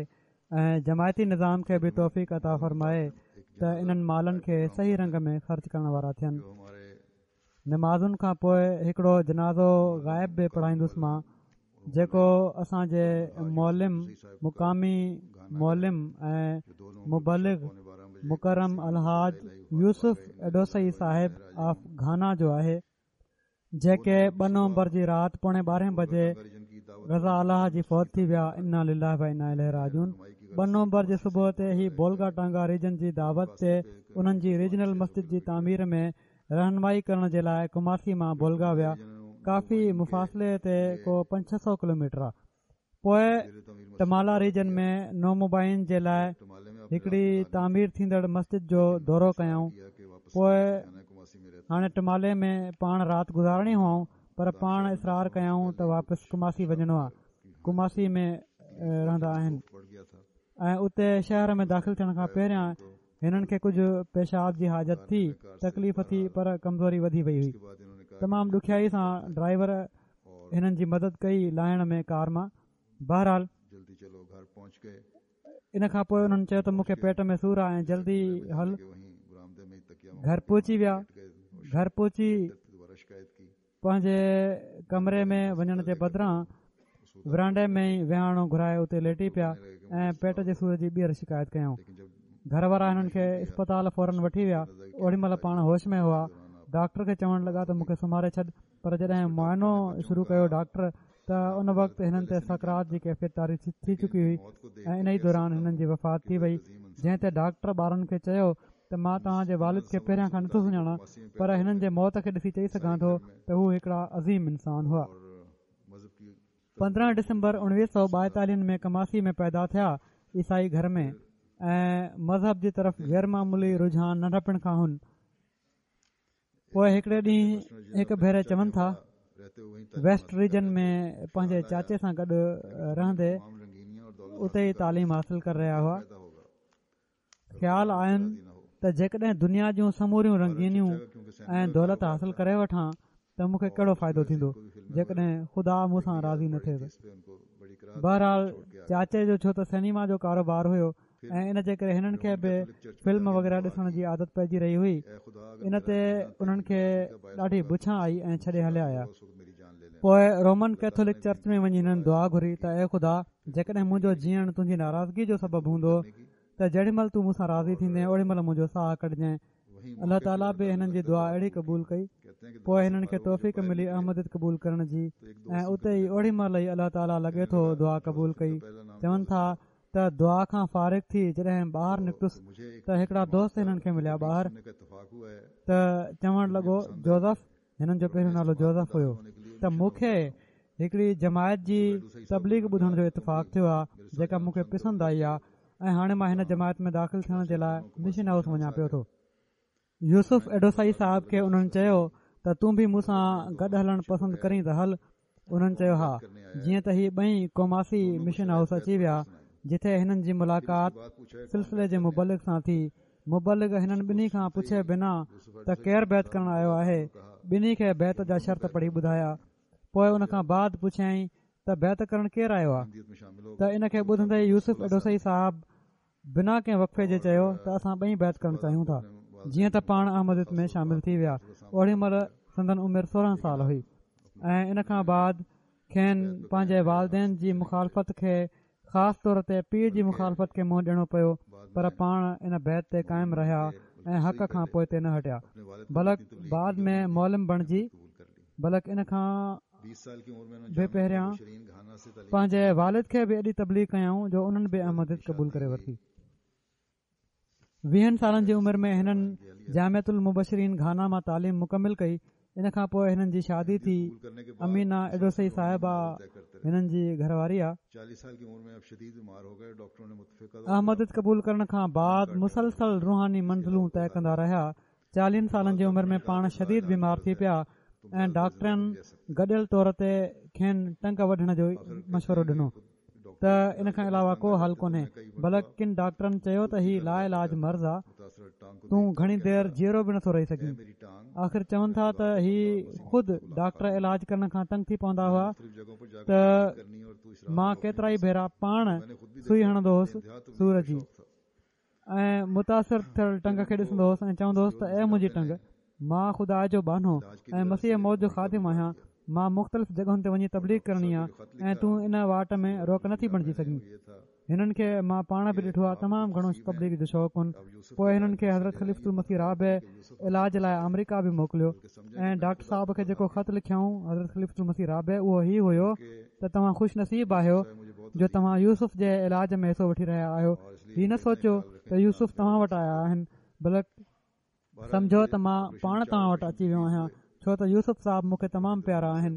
۽ جماعتي نظام کي به توفيق عطا فرمائي ته انهن مالن کي صحيح رنگ ۾ خرچ ڪرڻ وارا ٿين. نمازن کان پوءِ هڪڙو جنازو غائب به پڙهائيندس مان، جيڪو اسان جي معلم، مقامي معلم ۽ مبلغ مڪرم الحاج يوسف ايڊوسئي صاحب آف گهانا جو آهي، جيڪي ٻه نومبر جي رات پوڻي ٻارهين بجي رضا الله جي فوت ٿي ويا. انا لله و انا اليه راجعون. ٻه نومبر جي صبح تي هي بولگا ٽانگا ريجن جي دعوت تي انهن جي ريجنل مسجد جي تعمير ۾ رهنمائي ڪرڻ جي لاءِ ڪماسي مان بولگا ويا. ڪافي مفاصلي تي ڪو پنج ڇهه سؤ ڪلوميٽر آهي. پوءِ ٽمالا ريجن ۾ نومبائعين جي لاءِ هڪڙي تعمير ٿيندڙ مسجد جو دورو ڪيائون. پوءِ هاڻي ٽمالي ۾ پاڻ رات گذارڻي هئائون، پر پاڻ اصرار ڪيائون ته واپس ڪماسي وڃڻو آهي. ڪماسي ۾ رهندا آهن ۽ اتي شهر ۾ داخل ٿيڻ کان پهريان هنن کي ڪجهه پيشاب جي حاجت ٿي، تڪليف ٿي، پر ڪمزوري وڌي وئي هئي. تمام ڏکيائي سان ڊرائيور هنن جي مدد ڪئي لاهڻ ۾ ڪار مان. بهرحال ان کان پوءِ انهن چيو ته مون کي پيٽ ۾ سور آهي ۽ جلدي هل. گهر پهچي ويا. گهر پهچي پنهنجي ڪمري ۾ وڃڻ جي بدران ورانڊي ۾ ئي وهاڻو گهرائي اتي ليٽي پيا ۽ پيٽ جي سور جي ٻيهر شڪايت ڪيائون. گهر وارا هنن کي اسپتال فورن وٺي ويا. اوڏي مهل پاڻ هوش ۾ هئا. ڊاڪٽر کي چوڻ لڳا ته مون کي سمهاري ڇڏ، پر جڏهن معائنو شروع ڪيو ڊاڪٽر ته ان وقت هنن تي سڪرات جي ڪيفيت طاري ٿي چڪي هئي ۽ ان ئي دوران هنن جي وفات ٿي وئي. جنهن تي ڊاڪٽر ٻارن کي چيو ته مان توهان جي والد کي پهريان کان نٿو سڃاڻان، پر هنن جي موت کي ڏسي چئي سگهان ٿو ته هو هڪڙا عظيم انسان هئا. پندرهن ڊسمبر اڻويهه سؤ ٻائيتاليهن ۾ ڪماسي ۾ پيدا ٿيا، عيسائي گهر ۾ ۽ مذهب جي طرف غير معمولي رجحان ننڍپڻ کان هن. پوءِ هڪڙي ڏينهن هڪ ڀيري چون ٿا ويسٽ ريجن ۾ پنهنجي چاچي سان گڏ رهندي اتي ئي تعليم حاصل ڪري رهيا هئا. خيال آين ته جيڪڏهن دنيا جون سموريون رنگينيون ۽ دولت حاصل ڪري وٺان ته مون کي ڪهڙو فائدو ٿيندو جيڪڏهن خدا مون سان راضي نه ٿئي ته. بهرحال چاچي جو ڇو ته سئنيما جو ڪاروبار هيو ۽ ان جي ڪري هنن کي به فلم وغيره ڏسڻ جي عادت پئجي رهي هئي، ان تي انهن کي ڏاڍي بڇان آئي ۽ ڇڏي هليا آيا. پوءِ رومن ڪيٿولڪ چرچ ۾ وڃي هنن دعا گهري ته اي خدا، جيڪڏهن منهنجو جيئڻ تنهنجي ناراضگي جو سبب هوندو ته جيڏي مهل تون مون سان راضي ٿيندين اوڏي مهل منهنجو ساهه ڪڍجين. الله تعاليٰ به هنن جي دعا اهڙي قبول ڪئي. پوءِ هنن کي توفيق ملي احمديت قبول ڪرڻ جي ۽ اتي ئي اوڏي مهل ئي الله تعاليٰ لڳي ٿو دعا قبول ڪئي. چون ٿا ته دعا کان فارغ ٿي جڏهن ٻاهر نڪتس ته هڪڙا دوست هنن کي مليا ٻاهر ته چوڻ لڳو جوزف، هنن جو پهريون نالو جوزف هيو، ته مون کي هڪڙي جماعت جي تبليغ ٻڌڻ جو اتفاق ٿيو آهي جيڪا مون کي پسند آئي آهي ۽ هاڻي مان هن جماعت ۾ داخل ٿيڻ جي لاءِ مشن هائوس وڃان پيو ٿو. يوسف ايڊوسائي صاحب کي انهن چيو ته تون به مون سان گڏ هلڻ پسند ڪرين ته هل. انهن چيو ها. جيئن ته هي ٻئي ڪوماسي مشن هائوس اچي ويا جتي هنن جي ملاقات سلسلي جي مبلغ سان ٿي. مبلغ هنن ٻنهي کان پڇي بنا ته ڪير بيعت ڪرڻ آيو آهي، ٻنهي کي بيعت جا شرط پڙهي ٻڌايا. پوءِ ان کان بعد پڇيائين ته بيعت ڪرڻ ڪير آيو آهي، ته ان کي ٻڌندي يوسف ايڊوسائي صاحب بنا ڪنهن وقفي جي چيو ته اسان ٻئي بيعت ڪرڻ چاهيون ٿا. جيئن ته پاڻ احمديت ۾ شامل ٿي ويا. اوڏي مهل سندن عمر سورهن سال هئي ۽ ان کان بعد کين پنهنجي والدين جي مخالفت کي، خاص طور تي پيءُ جي مخالفت کي منهن ڏيڻو پيو، پر پاڻ ان بيعت تي قائم رهيا ۽ حق کان پوئتي نه هٽيا، بلڪ بعد ۾ معلم بڻجي، بلڪ ان کان به پهريان پنهنجي والد کي به ايڏي تبليغ ڪيائون جو انهن به احمديت قبول ڪري ورتي. ويهن سالن جي عمر ۾ هنن جامعة المبشرين گهانا مان تعليم مڪمل ڪئي. ان کان پوءِ هنن جي شادي ٿي. امينا ايڊوسائي صاحبه هنن جي گهر واري آهي. احمديت قبول ڪرڻ کان بعد مسلسل روحاني منزلون طئي ڪندا رهيا. چاليهن سالن جي عمر ۾ پاڻ شديد بيمار ٿي پيا ۽ ڊاڪٽرن گڏيل طور تي کين ٽنگ وڍڻ جو مشورو ڏنو ته ان کان علاوه ڪو حل ڪونهي، بلڪ ڪن ڊاڪٽرن چيو ته هي لا علاج مرض آ، تون گهڻي دير جيئرو به نٿو رهي سگهين. آخر چون ٿا ته هي خود ڊاڪٽر علاج ڪرڻ کان تنگ ٿي پوندا هئا ته مان ڪيترا ئي ڀيرا پاڻ سئي هڻندو هوس سور جي ۽ متاثر ٿيل ٽنگ کي ڏسندو هوس ۽ چوندو هوس ته اي منهنجي ٽنگ، مان خدا جو ٻانهو ۽ مسيح موعود جو خادم آهيان، مان مختلف جڳهن تي وڃي تبليغ ڪرڻي آهي ۽ تون ان واٽ ۾ روڪ نٿي بڻجي سگهين. هنن کي مان پاڻ به ڏٺو آهي، تمام گهڻو تبليغ جو شوق هن. پوءِ هنن کي حضرت خليفة المسيح رابع علاج لاءِ آمريڪا به موڪليو ۽ ڊاڪٽر صاحب کي جيڪو خط لکيائون حضرت خليفة المسيح رابع اهو هي هيو ته توهان خوش نصيب آهيو جو توهان يوسف جي علاج ۾ حصو وٺي رهيا آهيو. هي نه سوچيو ته يوسف توهان وٽ آيا آهن، بلڪ سمجهو ته مان پاڻ توهان وٽ اچي ويو آهيان، ڇو ته يوسف صاحب مون کي تمام پيارا آهن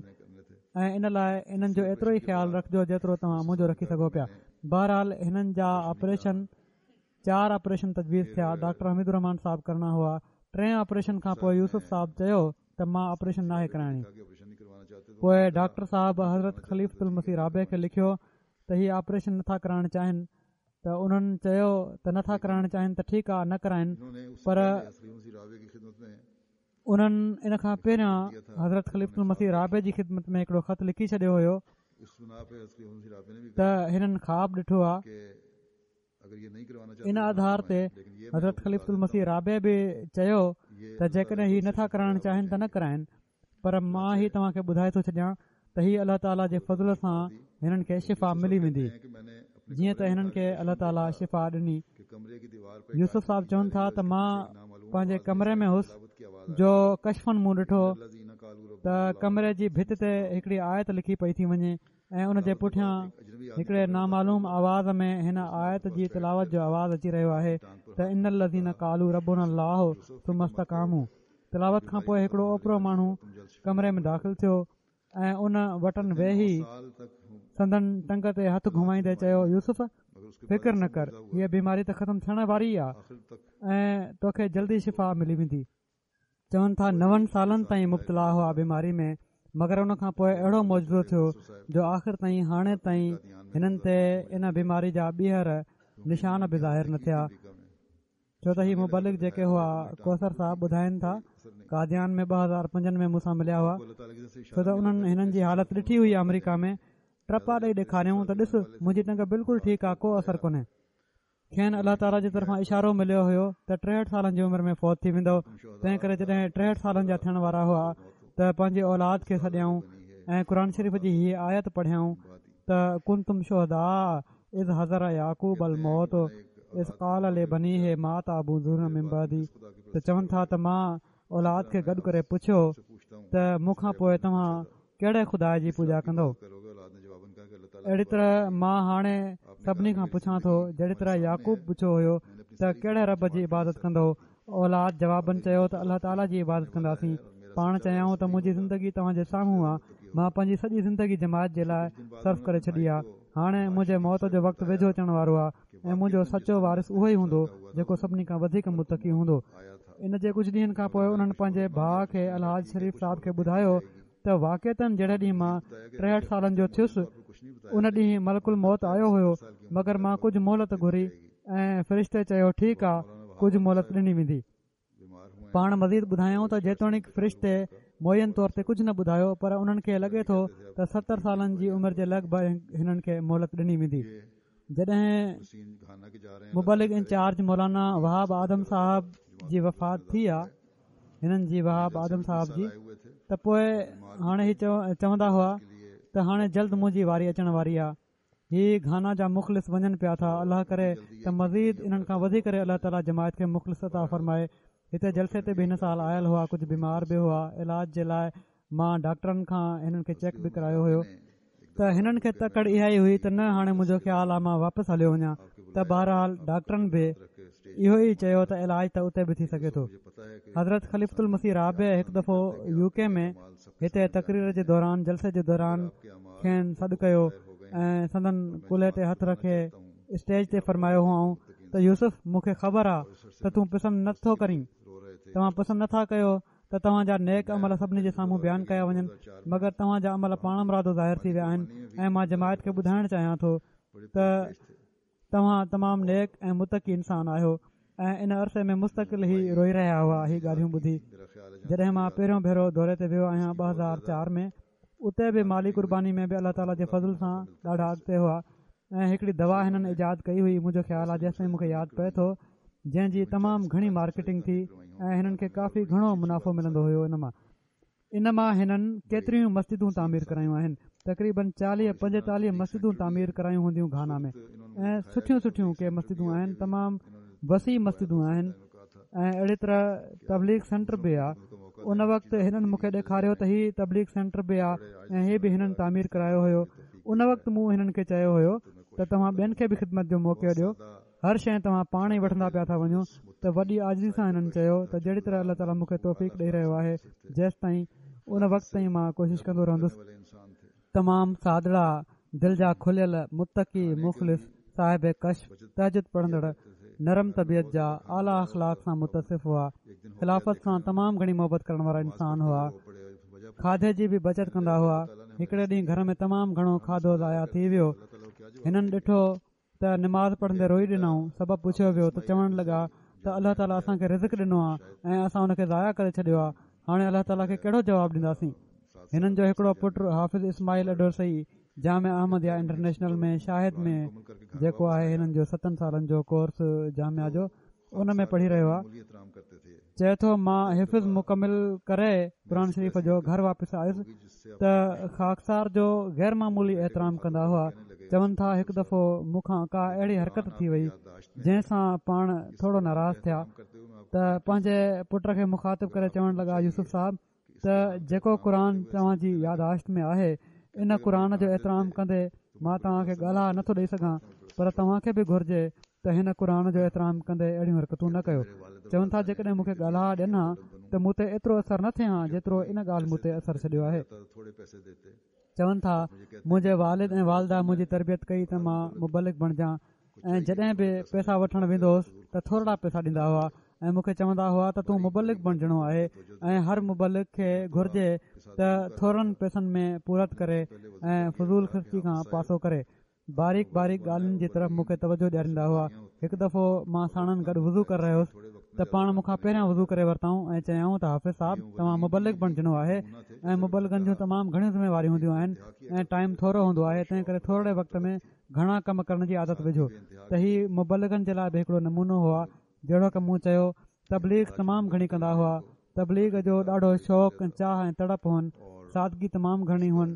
۽ ان لاءِ انهن جو ايترو ئي خيال رکجو جيترو توهان منهنجو رکي سگهو پيا. بهرحال هنن جا آپريشن چار آپريشن تجويز ٿيا. ڊاڪٽر حميد الرحمان صاحب ڪرڻا هئا. ٽئين آپريشن کان پوءِ يوسف صاحب چيو ته مان آپريشن ناهي ڪرائڻي. پوءِ ڊاڪٽر صاحب حضرت خليفة المسيح رابع کي لکيو ته هي آپريشن نٿا ڪرائڻ چاهين، ته انهن چيو ته نٿا ڪرائڻ چاهين ته ٺيڪ آهي نه ڪرائين، پر انهن ان کان پهريان حضرت خليفة المسيح رابع جي خدمت ۾ هڪڙو خط لکي ڇڏيو هيو ته هنن خواب ڏٺو آهي. ان آڌار تي حضرت خليفة المسيح رابع به چيو ته جيڪڏهن هي نٿا ڪرائڻ چاهين ته نه ڪرائين، پر مان هي توهان کي ٻڌائي ٿو ڇڏيان ته هي الله تعاليٰ جي فضل سان هنن کي شفا ملي ويندي. جيئن ته هنن کي الله تعاليٰ شفا ڏني. يوسف صاحب چون ٿا ته مان پنهنجي ڪمري ۾ هوس جو ڪشفن مون ڏٺو ته ڪمري جي ڀت تي هڪڙي آيت لکي پئي ٿي وڃي ۽ ان جي پٺيان هڪڙي نامعلوم آواز ۾ هن آيت جي تلاوت جو آواز اچي رهيو آهي ته ان الذين قالوا ربنا الله ثم استقاموا. تلاوت کان پوءِ هڪڙو اوپرو ماڻهو ڪمري ۾ داخل ٿيو ۽ ان وٽن ويهي سندن ٽنگ تي هٿ گهمائيندي چيو، يوسف فڪر نه ڪر، هيءَ بيماري ته ختم ٿيڻ واري آهي ۽ توکي جلدي شفا ملي ويندي. چون ٿا نون سالن تائين مبتلا هئا بيماري ۾، مگر ان کان پوءِ اهڙو معجزو ٿيو جو آخر تائين هاڻي تائين هنن تي ان بيماري جا ٻيهر نشان به ظاهر نه ٿيا. ڇو ته هي مبلغ جيڪي هئا ڪوثر صاحب ٻڌائين ٿا قاديان ۾ ٻه هزار پنجن ۾ مون سان مليا هئا، ڇو ته انهن هنن جي حالت ڏٺي هئي آمريڪا ۾. ٽپا ڏئي ڏيکاريائون ته ڏس منهنجي ٽنگ بلڪل ٺيڪ آ، ڪو اثر ڪونهي. کين الله تعاليٰ جي طرفان اشارو مليو هيو ته ٽيهٺ سالن جي عمر ۾ فوت ٿي ويندو. تنهن ڪري جڏهن ٽيهٺ سالن جا ٿيڻ وارا هئا ته پنهنجي اولاد کي سڏيائون ۽ قرآن شريف جي هيء آيت پڙهيائون ته ڪنتم شهداء اذ حضر يعقوب الموت اذ قال لبنيه ما تعبدون من بعدي. ته چون ٿا ته مان اولاد کي گڏ ڪري پڇيو ته مون کان پوءِ توهان ڪهڙي خدا جي پوڄا ڪندؤ؟ اهڙي طرح مان هاڻي سڀني کان پڇان ٿو جهڙي طرح يعقوب پڇيو هيو ته ڪهڙي رب جي عبادت ڪندؤ؟ اولاد جوابن چيو ته الله تعاليٰ جي عبادت ڪنداسين. پاڻ چيائون ته منهنجي زندگي توهان جي سامهون آ، مان پنهنجي سڄي زندگي جماعت جي لاءِ صرف ڪري ڇڏي آ. هاڻي منهنجي موت جو وقت ويجهو اچڻ وارو آ ۽ منهنجو سچو وارث اهو ئي هوندو جيڪو سڀني کان وڌيڪ متقي هوندو. ان جي ڪجهه ڏينهن کان پوءِ انهن پنهنجي ڀاءُ کي الحاج شريف صاحب کي ٻڌايو ته واقعتن جهڙي ڏينهن مان ٽيهٺ سالن جو ٿيس ان ڏينهن ملڪ الموت آيو هيو، مگر مان ڪجهه مهلت گهري ۽ فرشتي چيو ٺيڪ آ، ڪجهه مهلت ڏني ويندي. پاڻ مزيد ٻڌايائون ته جيتوڻيڪ فرشتي معين طور تي ڪجهه نه ٻڌايو پر انهن کي لڳي ٿو ته ستر سالن جي عمر جي لڳ ڀڳ هنن کي مهلت ڏني ويندي. جڏهن مبلغ انچارج مولانا وهاب آدم صاحب جي وفات ٿي آ، هنن جي وهاب آدم صاحب جي، ته پوءِ هاڻي هي چوندا هئا ته هاڻي جلد منهنجي واري اچڻ واري آ. هي گهانا جا مخلص وڃن پيا ٿا، الله ڪري ته مزيد انهن کان وڌي ڪري الله تعاليٰ جماعت کي مخلص عطا فرمائي. هتي جلسي تي به هن سال آيل هئا، ڪجهه بيمار به هئا. علاج جي لاءِ مان ڊاڪٽرن کان هنن کي چيڪ به ڪرايو هيو ته هنن کي تڪڙ اها ئي هئي ته نه هاڻي منهنجو خيال آ مان واپس هليو وڃان. ته بهرحال ڊاڪٽرن به اهو ئي چيو ته علاج ته اتي به ٿي سگهي ٿو. حضرت خليفة المسيح رابع هڪ دفعو يو ڪي ۾ هتي تقرير جي دوران جلسي جي دوران کين سڏ ڪيو ۽ سندن ڪلهي تي هٿ رکي اسٽيج تي فرمايو هئائون ته يوسف مون کي خبر آ ته تون پسند نٿو ڪرين، توهان پسند نٿا ڪيو ته توهان جا نيڪ عمل سڀني جي سامهون بيان ڪيا وڃن، مگر توهان جا عمل پاڻمرادو ظاهر ٿي ويا آهن ۽ مان جماعت کي ٻڌائڻ چاهيان ٿو ته توهان تمام نيڪ ۽ متقي انسان آهيو. ۽ ان عرصي ۾ مستقل هي روئي رهيا هئا هي ڳالهيون ٻڌي. جڏهن مان پهريون ڀيرو دوري تي ويو آهيان ٻه هزار چار ۾، اتي به مالي قرباني ۾ به الله تعاليٰ جي فضل سان ڏاڍا اڳتي هئا ۽ هڪڙي دوا هنن ايجاد ڪئي هئي، منهنجو خيال آهي جيستائين مون کي ياد پئي ٿو، جنهن جي تمام گهڻي مارڪيٽنگ ٿي ۽ هنن کي ڪافي گهڻو منافعو ملندو هيو. ان مان ان مان هنن ڪيتريون مسجدون تعمير ڪرايون آهن، تقريبن چاليهه پنجيتاليهه مسجدون تعمير ڪرايون هونديون گهانا ۾، ۽ سٺيون سٺيون ڪي مسجدون آهن، تمام وسيع مسجدون آهن ۽ اهڙي طرح تبليغ سينٽر به آهي. ان وقت هنن مون کي ڏيکاريو ته هي تبليغ سينٽر به آهي ۽ هي به هنن تعمير ڪرايو هيو. ان وقت مون هنن کي چيو هيو ته توهان ٻين کي به خدمت جو موقعو ڏيو، هر شيءِ توهان پاڻ ئي وٺندا پيا ٿا وڃو. ته وڏي عاجزي سان هنن چيو ته جهڙي طرح الله تعاليٰ مون کي توفيق ڏئي رهيو آهي جيستائين ان وقت تائين مان ڪوشش ڪندو رهندس. تمام سادڙا، دل جا کليل، متقي، مخلص، صاحب ڪشف، تهجد پڙهندڙ، نرم طبيعت جا، اعليٰ اخلاق سان متصف هئا. خلافت سان تمام گهڻي محبت ڪرڻ وارا انسان هئا. کاڌي جي به بچت ڪندا هئا. هڪڙي ڏينهن گهر ۾ تمام گهڻو کاڌو ضايع ٿي ويو. هنن ڏٺو ته نماز پڙهندي روئي ڏنائون. سبب پڇيو ويو ته چوڻ لڳا ته الله تعاليٰ اسان کي رزق ڏنو آهي ۽ اسان ان کي ضايع ڪري ڇڏيو آهي، هاڻي الله تعاليٰ کي ڪهڙو جواب ڏينداسين؟ هنن جو هڪڙو پٽ حافظ اسماعيل اڊورسئي جامعه احمديه انٽرنيشنل ۾ شاهد ۾ جيڪو آهي هنن جو ستن سالن جو ڪورس جامعه جو ان ۾ پڙهي رهيو آهي. چئي ٿو مان حفظ مڪمل ڪري قرآن شريف جو گهر واپس آيس ته خاڪسار جو غير معمولي احترام ڪندا هئا. چون ٿا هڪ دفعو مون کان ڪا اهڙي حرڪت ٿي وئي جنهن سان پاڻ ٿورو ناراض ٿيا ته پنهنجي پٽ کي مخاطب ڪري چوڻ لڳا يوسف صاحب ته جيڪو قرآن توهان جي ياداشت ۾ آهي ان قرآن جو احترام ڪندي مان توهان کي ڳالها نٿو ڏيئي سگهان، پر توهان کي به گهرجي ته هن قرآن جو احترام ڪندي اهڙيون حرڪتون نه ڪيو. چون ٿا جيڪڏهن مون کي ڳالها ڏين ها ته مون تي ايترو اثر نه ٿئي ها جيترو ان ڳالهه مون تي اثر ڇڏيو آهي. چون ٿا منهنجي والد ۽ والده منهنجي تربيت ڪئي ته مان مبلغ بڻجان ۽ جڏهن به پئسا وٺڻ ويندو هوس ته ٿورڙا پئسا ڏيندا هئا ۽ مون کي چوندا هئا ته تون مبلغ بڻجڻو آهي ۽ هر مبلغ کي گهرجي ته ٿورن پئسن ۾ پورت ڪري ۽ فضول خرچي کان پاسو ڪري. باريڪ باريڪ ڳالهين جي طرف مون کي توجهه ڏياريندا هئا. هڪ دفعو مان ساڻن گڏ وضو ڪري رهيو هوس ته پاڻ مون کان پهريان وضو ڪري ورتائون ۽ چيائون ته حافظ صاحب توهان مبلغ بڻجڻو آهي ۽ مبلغن جون تمام گهڻيون ذميواريون هونديون آهن ۽ ٽائيم ٿورو هوندو آهي، تنهن ڪري ٿورڙي وقت ۾ گهڻا ڪم ڪرڻ جي عادت وجهو. ته هي مبلغن جي لاء به هڪڙو نمونو هئا. جهڙوڪ مون چيو تبليغ تمام گهڻي ڪندا هئا، تبليغ جو ڏاڍو شوق ۽ چاهه ۽ تڙپ هئن، سادگي تمام گهڻي هئن.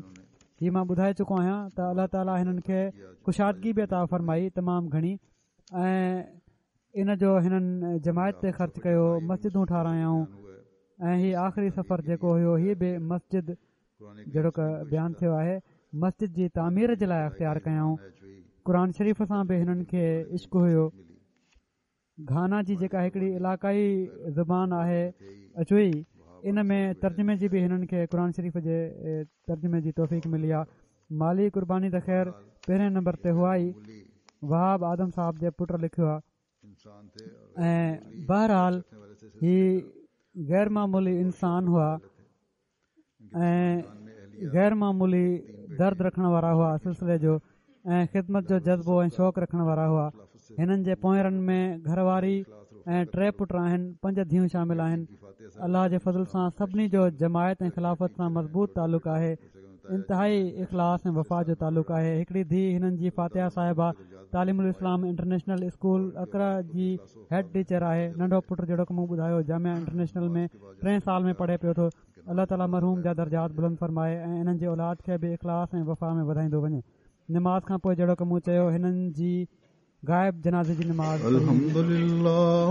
هي مان ٻڌائي چڪو آهيان ته الله تعاليٰ هنن کي ڪشادگي به عطا فرمائي تمام گهڻي ۽ ان جو هنن جماعت تي خرچ ڪيو، مسجدون ٺارايائون ۽ هي آخري سفر جيڪو هيو هي به مسجد جهڙوڪ بيان ٿيو آهي مسجد جي تعمير جي لاءِ اختيار ڪيائون. قرآن شريف سان به هنن کي عشق هيو. گهانا جي جيڪا هڪڙي علائقائي زبان آهي اچوئي، ان ۾ ترجمي جي به هنن کي قرآن شريف جي ترجمي جي توفيق ملي آهي. مالي قرباني ته خير پهرين نمبر تي هئا ئي. وهاب آدم صاحب جي پٽ لکيو آهي ۽ بهرحال هي غير معمولي انسان هئا ۽ غير معمولي درد رکڻ وارا هئا سلسلي جو ۽ خدمت جو جذبو ۽ شوق رکڻ وارا هئا. هنن جي پوئرن ۾ گهر واري ۽ ٽي پٽ آهن، پنج ڌيئون شامل آهن. الله جي فضل سان سڀني جو جماعت ۽ خلافت سان مضبوط تعلق آهي، انتهائي اخلاص ۽ وفا جو تعلق آهي. هڪڙي ڌيءَ هنن جي فاتحه صاحبه تعليم الاسلام انٽرنيشنل اسڪول اڪرا جي هيڊ ٽيچر آهي. ننڍو پٽ جهڙوڪ مون ٻڌايو جامعه انٽرنيشنل ۾ ٽئين سال ۾ پڙهي پيو ٿو. الله تعاليٰ مرحوم جا درجات بلند فرمائي ۽ انهن جي اولاد کي به اخلاص ۽ وفا ۾ وڌائيندو وڃي. نماز کان پوءِ جهڙوڪ مون چيو هنن جي غائب جنازي جي نماز پڙهي ويندي. الحمد لله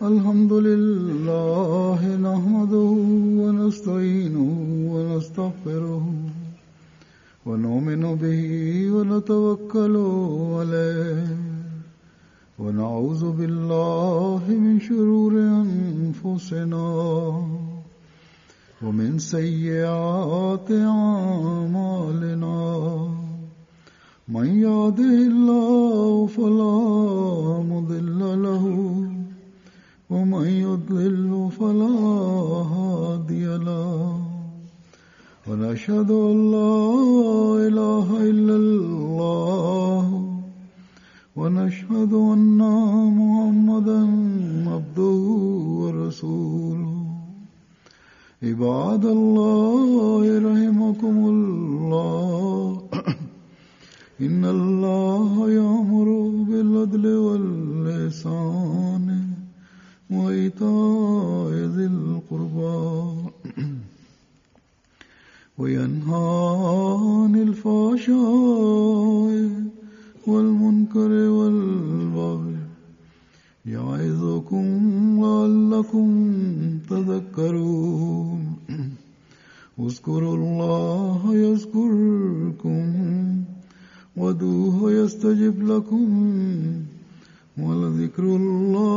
الحمد لله نحمده ونستعينه ونستغفره ونؤمن به ونتوكل عليه ونعوذ بالله من شرور أنفسنا ومن سيئات أعمالنا من يهده الله فلا مضل له ومن يضلل فلا هادي له ونشهد أن لا إله إلا الله ونشهد أن محمدا عبده ورسوله. عباد الله رحمكم الله، إن الله يأمر بالعدل والإحسان وإيتاء ذي القربى وينهى عن الفحشاء والمنكر والبغي يعظكم لعلكم تذكرون. اذكروا الله يذكركم وادعوه يستجب لكم ولذكر الله